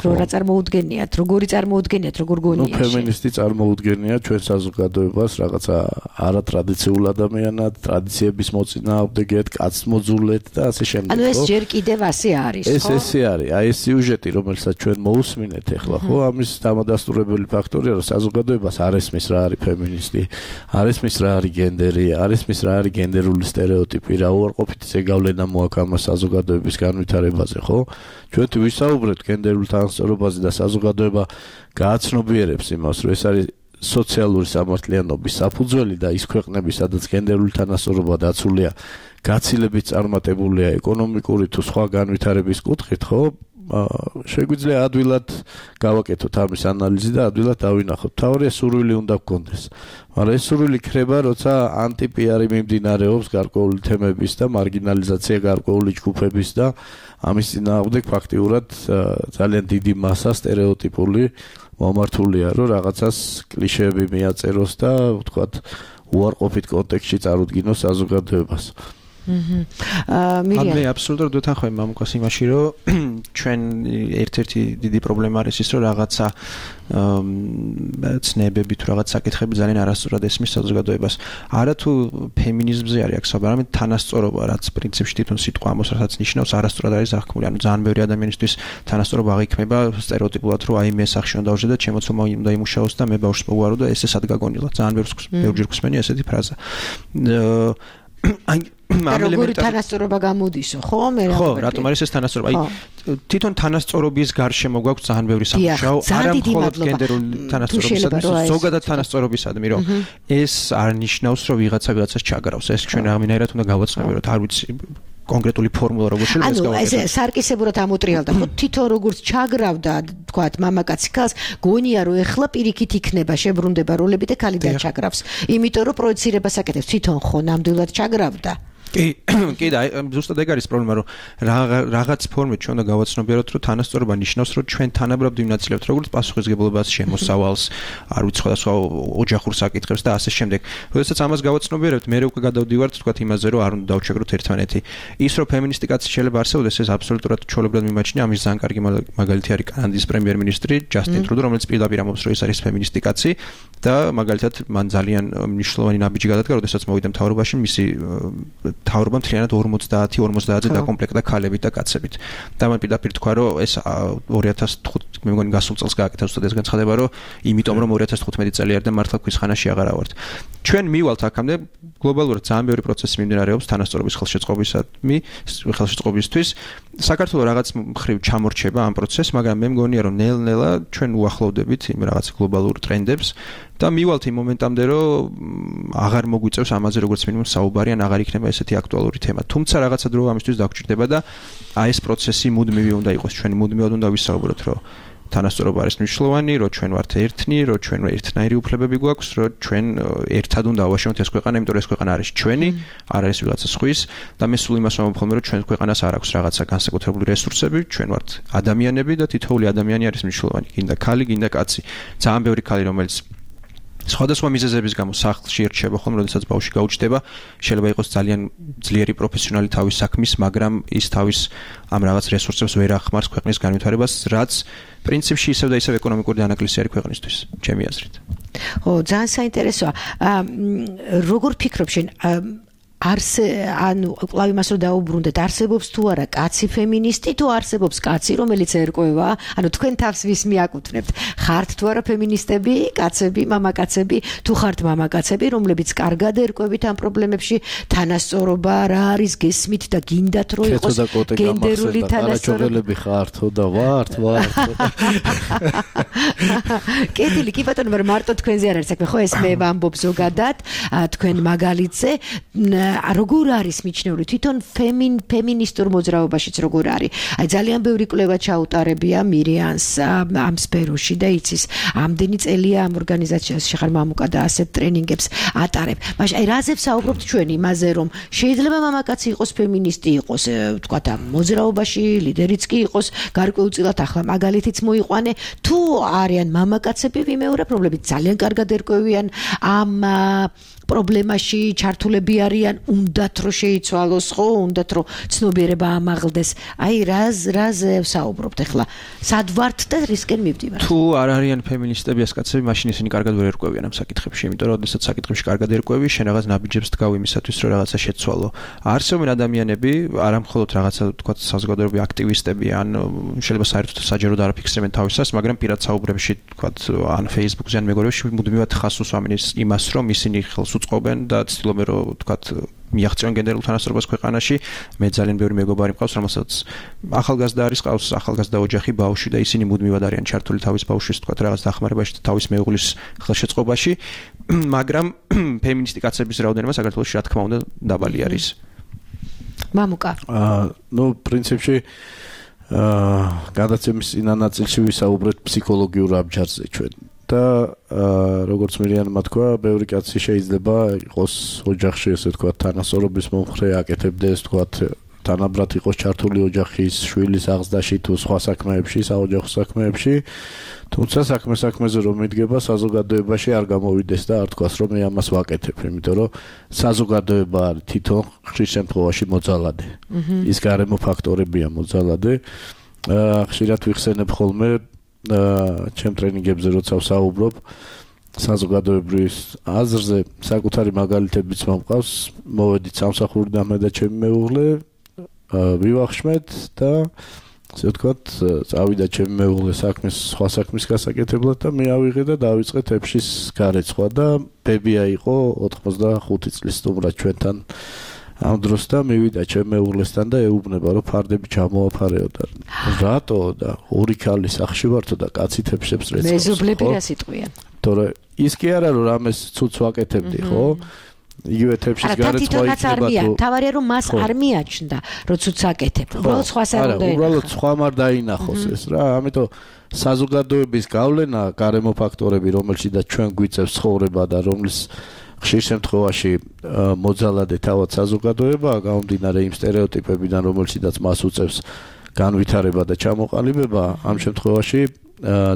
რა წარმოუდგენიათ, როგორი წარმოუდგენიათ, როგორ გონიათ? ნუ феминисти წარმოუდგენია ჩვენ საზოგადოებას რაღაცა არატრადიციულ ადამიანად, ტრადიციების მოწინააღმდეგედ, კაცმოძულეთ და ასე შემდეგ. ანუ ეს ჯერ კიდევ ასე არის, ხო? ეს ესე არის. აი ეს სიუჟეტი, რომელსაც ჩვენ მოусმინეთ ახლა, ხო, ამის დამადასტურებელი ფაქტორია, რომ საზოგადოებას არ ესმის რა არის ფემინისტი, არ ესმის რა არის გენდერი, არ ესმის რა არის გენდერული სტერეოტიპი, რა უარყოფითი ზეგავლენა მოაქვს ამ საზოგადოების განვითარებაზე, ხო? ჩვენ თუ ვისაუბრებთ გენდერულ თანასწორობაზე და საზოგადოება გააცნობიერებს იმას, რომ ეს არის სოციალური სამართლიანობის საფუძველი და ის ქვეყნები, სადაც გენდერული თანასწორობა დაცულია, გაცილებით წარმატებულია ეკონომიკური თუ სხვა განვითარების კუთხით, ხო? შეგვიძლია ადვილად გავაკეთოთ ამის ანალიზი და ადვილად დავინახოთ. თავარია სურვილი უნდა გქონდეს. მაგრამ ეს სურვილი ქრება, როცა ანტიპიარი მიმდინარეობს გარკვეული თემების და მარგინალიზაცია გარკვეული ჯგუფების და ამის წინააღმდეგ ფაქტიურად ძალიან დიდი მასა სტერეოტიპული მომართულია, რომ რაღაცას კლიშეები მიაწეროს და ვთქვათ უარყოფით კონტექსტში წარუდგინოს საზოგადოებას. აჰა. მირია. მე აბსოლუტურად ვეთანხმები მამუკას იმაში, რომ ჩვენ ერთ-ერთი დიდი პრობლემა არის ის, რომ რაღაცა ცნებები თუ რაღაც საკითხები ძალიან არასწორად ესმის საზოგადოებას. არა თუ ფემინიზმზე არის აქ საუბარი, არამედ თანასწორობა, რაც პრინციპში თვითონ სიტყვა ამას რასაც ნიშნავს, არასწორად არის აღქმული. ანუ ძალიან ბევრი ადამიანისთვის თანასწორობა აღიქმება სტერეოტიპულად, რომ აი მე სახში უნდა დავждე და ჩემო ცოლმა უნდა იმუშაოს და მე ბავშვს მოვარო და ესე სად გაგონილა. ძალიან ბევრჯერ გვსმენია ესეთი ფრაზა. აი როგორი თანასწორობა გამოდისო, ხო? მე რა ხო, რატომ არის ეს თანასწორობა? აი თვითონ თანასწორობის გარშემო გვაქვს ძალიან ბევრი სამუშაო, არა მხოლოდ გენდერული თანასწორობისადმი, ზოგადად თანასწორობისადმი, რომ ეს არ ნიშნავს, რომ ვიღაცა ვიღაცას ჩაგრავს. ეს ჩვენ რამენერად უნდა გავაცნობიეროთ, არ ვიცი კონკრეტული ფორმულა როგორ შეიძლება ეს გავაკეთოთ. ანუ ეს სარკისებურად ამოტრიალდა, ხო, თვითონ როგორც ჩაგრავდა, თქვათ, მამაკაცი ქალს, გონია რომ ეხლა პირიქით იქნება, შებრუნდება როლები და ქალი დაჩაგრავს. იმიტომ რომ პროექცირებას აკეთებს, თვითონ ხო ნამდვილად ჩაგრავდა. კი, კი და ზუსტად ეგ არის პრობლემა, რომ რაღაც ფორმით ჩვენ უნდა გავაცნობიეროთ, რომ თანასწორობა ნიშნავს, რომ ჩვენ თანაბრად ვინაცვლებთ როგორც პასუხისგებლობას, შემოსავალს, არ ვიცი სხვადასხვა ოჯახურ საკითხებს და ასე შემდეგ. როდესაც ამას გავაცნობიერებთ, მე უკვე გადავდივართ თქვათ იმაზე, რომ არ უნდა დავჩაგროთ ერთმანეთი. ის რომ ფემინისტი კაცი შეიძლება არსებობდეს, ეს აბსოლუტურად ჩვეულებრივად მიმაჩნია. ამის ძალიან კარგი მაგალითი არის კანადის პრემიერ-მინისტრი ჯასტინ ტრუდო, რომელიც პირდაპირ ამბობს, რომ ის არის ფემინისტი კაცი და მაგალითად მან ძალიან მნიშვნელოვანი ნაბიჯი გადადგა, როდესაც მოვიდა მთავრობაში, მისი თავრობა მთლიანად ორმოცდაათი ორმოცდაათზე დაკომპლექტდა ქალებით და კაცებით. და მან პირდაპირ თქვა, რომ ეს ორი ათას თხუთმეტი მე მგონი გასულ წელს გააკეთა უბრალოდ ეს განცხადება, რომ იმიტომ რომ ორი ათას თხუთმეტი წელი არის და მართლა ქვისხანაში აღარა ვართ. ჩვენ მივალთ აქამდე გლობალურად ძალიან ბევრი პროცესი მიმდინარეობს თანასწორობის ხელშეწყობისადმი, ხელშეწყობისთვის. საქართველოს რაღაც მხრივ ჩამორჩება ამ პროცესს, მაგრამ მე მგონია, რომ ნელ-ნელა ჩვენ უახლოვდებით იმ რაღაც გლობალურ ტრენდებს და მივალთ იმ მომენტამდე, რომ აღარ მოგვიწევს ამაზე როგორც მინიმუმ საუბარი, ან აღარ იქნება ესეთი აქტუალური თემა. თუმცა რაღაცა დრო ამისთვის დაგჭირდება და აი ეს პროცესი მუდმივი უნდა იყოს, ჩვენ მუდმივად უნდა ვისაუბროთ, რომ თანასწორობა არის მნიშვნელოვანი, რომ ჩვენ ვართ ერთნი, რომ ჩვენ ერთნაირი უფლებები გვაქვს, რომ ჩვენ ერთად უნდა ავაშენოთ ეს ქვეყანა, იმიტომ რომ ეს ქვეყანა არის ჩვენი, არ არის ვიღაცა სხვის და მე სულ იმას ვამბობ, რომ ჩვენ ქვეყანას არ აქვს რაღაცა განსაკუთრებული რესურსები, ჩვენ ვართ ადამიანები და თითოეული ადამიანი არის მნიშვნელოვანი, გინდა ქალი, გინდა კაცი. ძალიან ბევრი ქალი, რომელიც სხვადასხვა მიზეზების გამო სახლში ერჩება ხოლმე, როდესაც ბავშვი გაუჩნდება, შეიძლება იყოს ძალიან ძლიერი პროფესიონალი თავის საქმის, მაგრამ ის თავის ამ რაღაც რესურსებს ვერ ახმარს ქვეყნის განვითარებას, რაც პრინციპში ისევ და ისევ ეკონომიკური დანაკლისი არის ქვეყნისთვის, ჩემი აზრით. ო, ძალიან საინტერესოა. როგორ ფიქრობ შენ არს ანუ კვლავ იმას რომ დაუბრუნდეთ, არსებობს თუ არა კაცი ფემინისტი, თუ არსებობს კაცი, რომელიც ერკვევა, ანუ თქვენ თავს ვის მიაკუთვნებთ? ხართ თუ არა ფემინისტები, კაცები, მამაკაცები, თუ ხართ მამაკაცები, რომლებიც კარგად ერკვევით ამ პრობლემებში, თანასწორობა რა არის, გესმით და გინდათ რომ იყოს გენდერული თანასწორობა? ხართო და ვართ, ვართ. კეთილი, კი ბატონო, მაგრამ მარტო თქვენზე არ არის საქმე, ხო ეს მე ვამბობ ზოგადად, თქვენ მაგალითზე როგორ არის მიჩნეული თვითონ ფემინ ფემინისტურ მოძრაობაშიც როგორ არის? აი ძალიან ბევრი კვლევა ჩაუტარებია მირიანს ამ სფეროში და იცის ამდენი წელია ამ ორგანიზაციაში ხარ მამუკა და ასეთ ტრენინგებს ატარებ. მაშინ აი რაზე ვსაუბრობთ ჩვენ იმაზე რომ შეიძლება მამაკაცი იყოს ფემინისტი იყოს ვთქვათ ამ მოძრაობაში ლიდერიც კი იყოს გარკვეულწილად ახლა მაგალითიც მოიყვანე თუ არიან მამაკაცები ვიმეორებ რომლებიც ძალიან კარგად ერკვევიან ამ პრობლემაში ჩართულები არიან, უნდათ რომ შეიცვალოს, ხო, უნდათ რომ ცნობიერება ამაღლდეს. აი რაზ რაზ ვსაუბრობთ ახლა? სად ვართ და რისკენ მივდივართ? თუ არ არიან ფემინისტები ეს კაცები, მაშინ ისინი კარგად ვერ ერკვევიან ამ საკითხებში, იმიტომ რომ შესაძლოა საკითხებში კარგად ერკვევი, შენ რაღაც ნაბიჯებს დგავ იმისათვის, რომ რაღაცა შეცვალო. არსებობენ ადამიანები, არა მხოლოდ რაღაცა თქვა საზოგადოებრივი აქტივისტები, ან შეიძლება საერთოდ საჯაროდ არ აფიქსირებენ თავისას, მაგრამ პირად საუბრებში თქვა ან Facebook-ზე ან მეგობრებში მუდმივად ხას უსვამენ იმას, რომ ისინი ხელს უწყობენ და ცდილობენ რომ თქვათ მიაღწიონ გენდერულ თანასწორობას ქვეყანაში. მე ძალიან ბევრი მეგობარი მყავს, რომელსაც ახალგაზრდა არის, ყავს ახალგაზრდა ოჯახი, ბავშვი და ისინი მუდმივად არიან ჩართული თავის ბავშვის თქვათ რაღაც დახმარებაში და თავის მეუღლის ხელშეწყობაში, მაგრამ ფემინისტი კაცების რაოდენობა საქართველოში რა თქმა უნდა დაბალი არის. მამუკა. აა, ну, პრინციპში აა, გადაცემის წინა ნაწილში ვისაუბრეთ ფსიქოლოგიურ აბჯარზე ჩვენ. და როგორც მირიანმა თქვა, ბევრი კაცი შეიძლება იყოს ოჯახში, ესე ვთქვათ, თანასწორობის მომხრე აკეთებდეს, ვთქვათ, თანაბრად იყოს ჩართული ოჯახის, შვილის აღზრდაში თუ სხვა საქმეებში, საოჯახო საქმეებში, თუმცა საქმე საქმეზე რომ მიდგება, საზოგადოებაში არ გამოვიდეს და არ თქვას, რომ მე ამას ვაკეთებ, იმიტომ რომ საზოგადოება არის თვითონ ხშირ შემთხვევაში მოძალადე. ის გარემო ფაქტორებია მოძალადე. ხშირად ვიხსენებ ხოლმე ჩემ ტრენინგებზე როცა ვსაუბრობ საზოგადოებრივ აზრზე საკუთარი მაგალითებიც მომყავს მოვედით სამსახურიდან მე და ჩემი მეუღლე ვივახშმეთ და ასე ვთქვათ წავიდა ჩემი მეუღლე საქმის სხვა საქმის გასაკეთებლად და მე ავიღე და დავიწყე თეფშის გარეცხვა და ბებია იყო ოთხმოცდახუთი წლის სტუმრად ჩვენთან ამ დროს და მივიდა ჩემ მეუღლესთან და ეუბნება რომ ფარდები ჩამოაფარეო და რატო და ორი ქალი სახში ვართო და კაცი თეფშებს რეცხავს. მეზობლები რა სიტყვიან? თორე ის კი არა რომ რამეს ცუც ვაკეთებდი, ხო? იგივე თეფშის გარეცხვა იქნება თუ თავარია რომ მას არ მიაჩნდა რომ ცუც აკეთებ. უბრალოდ სხვას არ უნდა ეხო. უბრალოდ სხვამ არ დაინახოს ეს რა, ამიტომ საზოგადოების გავლენა, გარემო ფაქტორები, რომელშიც ჩვენ გვიწევს ცხოვრება და რომლის ხშირ შემთხვევაში მოძალადე თავად საზოგადოებაა გამომდინარე იმ სტერეოტიპებიდან, რომელშიც მას უწევს განვითარება და ჩამოყალიბება, ამ შემთხვევაში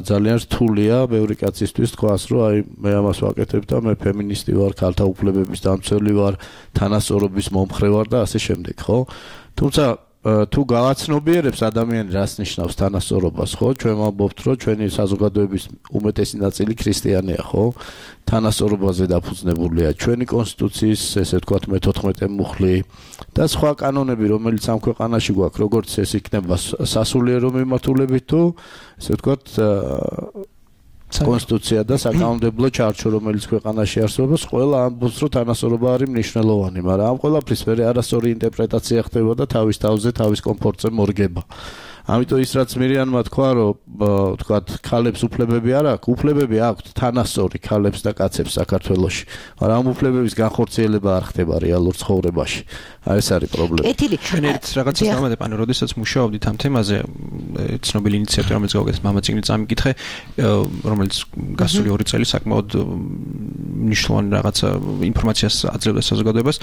ძალიან რთულია ბევრი კაცისთვის თქვას, რომ აი მე ამას ვაკეთებ და მე ფემინისტი ვარ, ქალთა უფლებების დამცველი ვარ, თანასწორობის მომხრე ვარ და ასე შემდეგ, ხო? თუმცა თუ გავაცნობიერებს ადამიანი რას ნიშნავს თანასწორობას, ხო? ჩვენ ვამბობთ, რომ ჩვენი საზოგადოების უმეტესი ნაწილი ქრისტიანია, ხო? თანასწორობაზე დაფუძნებულია ჩვენი კონსტიტუციის, ესე ვთქვათ, მეთოთხმეტე მუხლი და სხვა კანონები, რომელიც ამ ქვეყანაში გვაქვს, როგორც ეს იქნება სასულიერო მიმართულებით თუ ესე ვთქვათ, კონსტიტუცია და საკანონმდებლო ჩარჩო, რომელიც ქვეყანაში არსებობს, ყველა ამბობს, რომ თანასწორობა არის მნიშვნელოვანი, მაგრამ ამ ყველაფრის მე არასწორი ინტერპრეტაცია ხდება და თავის თავზე, თავის კომფორტზე მორგება. ამიტომ ის რაც მირიანმა თქვა, რომ ვთქვათ, ქალებს უფლებები არ აქვს, უფლებები აქვთ თანასწორი ქალებს და კაცებს საქართველოში, მაგრამ ამ უფლებების განხორციელება არ ხდება რეალურ ცხოვრებაში. აი ეს არის პრობლემა. ჩვენ ერთ რაღაცას დავამატებ, ანუ როდესაც მუშაობდით ამ თემაზე, ცნობილი ინიციატივა, რომელიც გავაკეთეთ მამაციგნით წამიკითხე, რომელიც გასული ორი წელი საკმაოდ მნიშვნელოვანი რაღაცა ინფორმაციას აძლევდა საზოგადოებას,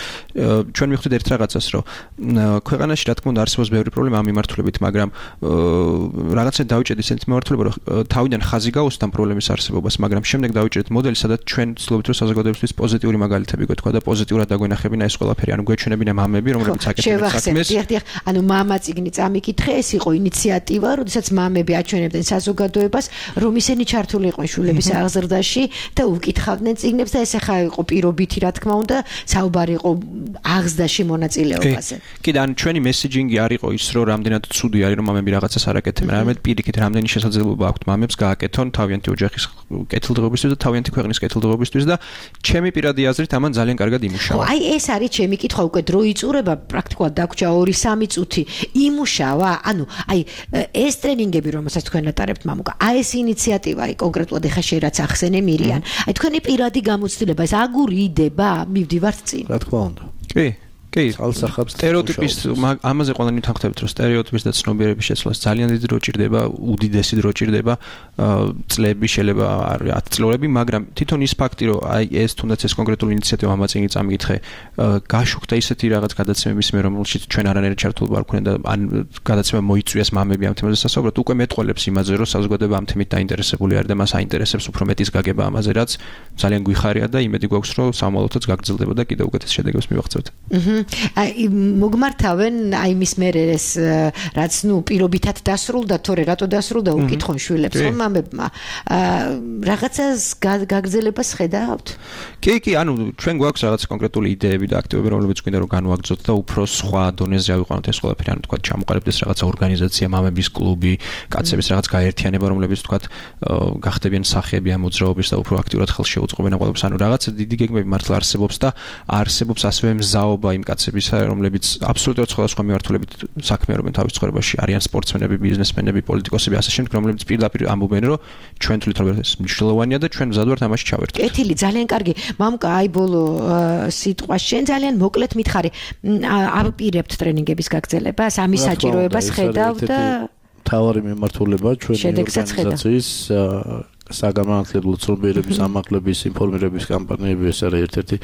ჩვენ მივხვდით ერთ რაღაცას, რომ ქვეყანაში რა თქმა უნდა არსებობს ბევრი პრობლემა ამ მიმართულებით, მაგრამ რაღაცა დავიჭერთ ისეთ მიმართულება, რომ თავიდან ხაზი გაუსთ ამ პრობლემის არსებობას, მაგრამ შემდეგ დავიჭერთ მოდელი, სადაც ჩვენ ვცდილობთ, რომ საზოგადოებისთვის პოზიტიური მაგალითები გვეთქვა და პოზიტიურად დაგვენახებინა ეს ყველაფერი, ანუ გვეჩვენებინა მამები, რომლებიც აკეთებენ საქმეს. ანუ მამაციგნი წამიკითხე, ეს იყო ინიციატივა, როდესაც მამები აჩვენებდნენ საზოგადოებას, რომ ისინი ჩართული იყვნენ შვილების აღზრდაში და უკითხავდნენ წიგნებს და ეს ახლა იყო პირობითი, რა თქმა უნდა, საუბარი იყო აღზრდაში მონაწილეობაზე. კი და ანუ ჩვენი მესეჯინგი არ იყო ის, რომ რამდენად ცუდი არის, რომ მამები რაღაცას არ აკეთებენ, არამედ პირიქით რამდენი შესაძლებლობა აქვთ მამებს გააკეთონ თავიანთი ოჯახის კეთილდღეობისთვის და თავიანთი ქვეყნის კეთილდღეობისთვის და ჩემი პირადი აზრით ამან ძალიან კარგად იმუშავა. აი ეს არის ჩემი კითხვა, უკვე დრო იწურება, პრაქტიკულად დაგვრჩა ორი სამი წუთი იმუშავა, ანუ აი ეს ტრენინგები, რომელსაც თქვენ ატარებთ მამუკა, აი ეს ინიციატივა, აი კონკრეტულად ეხა შე რაც ახსენე მირიან, აი თქვენი პირადი გამოცდილება, ეს აგური იდება, მივდივართ წინ. რა თქმა უნდა. კი. კი, ალსახავს სტერეოტიპის ამაზე ყველანი თანხმდებთ, რომ სტერეოტიპის და ცნობიერების შეცვლას ძალიან დიდი დრო ჭირდება, უდიდესი დრო ჭირდება, წლები შეიძლება არის ათი წლები, მაგრამ თვითონ ის ფაქტი, რომ აი ეს თუნდაც ეს კონკრეტული ინიციატივა მამაცინი წამიკითხე, გაშუქდა ისეთი რაღაც გადაცემების მე, რომელშიც ჩვენ არანაირი ჩართულობა არ გვქონდა და ან გადაცემა მოიწვიეს მამები ამ თემაზე სასაუბრად, უკვე მეტყველებს იმაზე, რომ საზოგადოება ამ თემით დაინტერესებული არის და მას აინტერესებს უფრო მეტის გაგება ამაზე, რაც ძალიან გვიხარია და იმედი გვაქვს, რომ სამომავლოდაც გაგრძელდება და კიდევ უკეთეს შედეგებს მივაღწევთ. აი მოგმართავენ აი მის მერე ეს რაც ნუ პირობითად დასრულდა თორე რატო დასრულდა უკითხონ შვილებს ხომ მამებმა რაღაცას გაგრძელებას ხედავთ? კი კი ანუ ჩვენ გვაქვს რაღაც კონკრეტული იდეები და აქტივები რომლებიც გვინდა რომ განვაგრძოთ და უფრო სხვა დონეზე ავიყვანოთ ეს ყველაფერი ანუ თქვა ჩამოყალიბდეს რაღაცა ორგანიზაცია მამების კლუბი კაცების რაღაც გაერთიანება რომლებიც თქვა გახდებიან სახეები ამ მოძრაობის და უფრო აქტიურად ხელს შეუწყობენ ამ ყველაფერს ანუ რაღაცა დიდი გეგმები მართლა არსებობს და არსებობს ასევე მზაობა იმ კაცებისა, რომლებიც აბსოლუტურად სხვადასხვა მიმართულებით საქმეობენ თავის ცხოვრებაში, არიან სპორტსმენები, ბიზნესმენები, პოლიტიკოსები, ასე შემდეგ, რომლებიც პირდაპირ ამბობენ, რომ ჩვენ თვითონ ეს მნიშვნელოვანია და ჩვენ მზად ვართ ამაში ჩავერთვით. კეთილი, ძალიან კარგი. მამუკა, აი ბოლო სიტყვა, შენ ძალიან მოკლედ მითხარი, აპირებთ ტრენინგების გაგრძელებას, ამის საჭიროებას ხედავ და თავარი მიმართულება ჩვენი ორგანიზაციის საგანმანათლებლო ცნობიერების ამაღლების ინფორმირების კამპანიები ეს არის ერთ-ერთი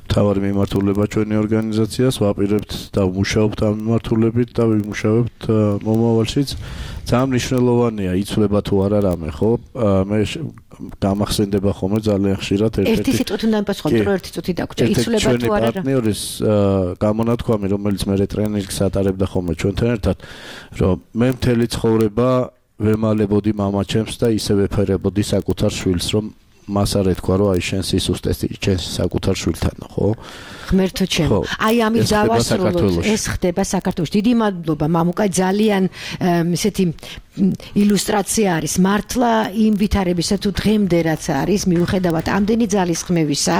მთავარი მიმართულება ჩვენი ორგანიზაციას ვაპირებთ და ვმუშაობთ ამ მიმართულებით და ვიმუშავებთ მომავალშიც ძალიან მნიშვნელოვანია იცვლება თუ არა რამე ხო მე გამახსენდება ხოლმე ძალიან ხშირად ერთი სიტყვით უნდა მიპასუხოთ რომ ერთი წუთი დაგვრჩა იცვლება თუ არა ჩვენი პარტნიორის გამონათქვამი რომელიც მე ტრენინგს ატარებდა ხოლმე ჩვენთან ერთად რომ მე მთელი ცხოვრება ვემალებოდი მამაჩემს და ისე ვეფერებოდი საკუთარ შვილს რომ მას არ ეთქვა რომ აი შენ სისუსტე შენ საკუთარ შვილთან ხო ღმერთო ჩემო აი ამით დავასრულოთ ეს ხდება საქართველოში დიდი მადლობა მამუკა ძალიან ესეთი ილუსტრაცია არის მართლა იმ ვითარებისა თუ დღემდე რაც არის მიუხედავად ამდენი ძალისხმევისა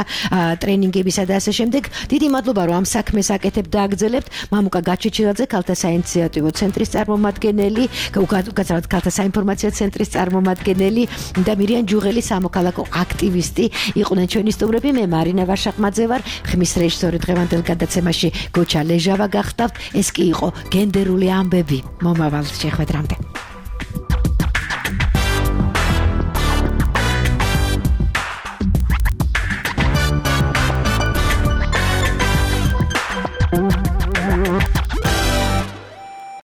ტრენინგებისა და ასე შემდეგ დიდი მადლობა რომ ამ საქმეს აკეთებთ და აგრძელებთ მამუკა გაჩეჩილაძე ქალთა საინიციატივო ცენტრის წარმომადგენელი უკაცრავად ქალთა საინფორმაციო ცენტრის წარმომადგენელი და მირიან ჯუღელი სამოქალაქო აქტივისტი იყვნენ ჩვენი სტუმრები მე მარინა ვარშაყმაძე ვარ ხმის რეჟისორი დღევანდელ გადაცემაში გოჩა ლეჟავა გახდავთ ეს კი იყო გენდერული ამბები მომავალ შეხვედრამდე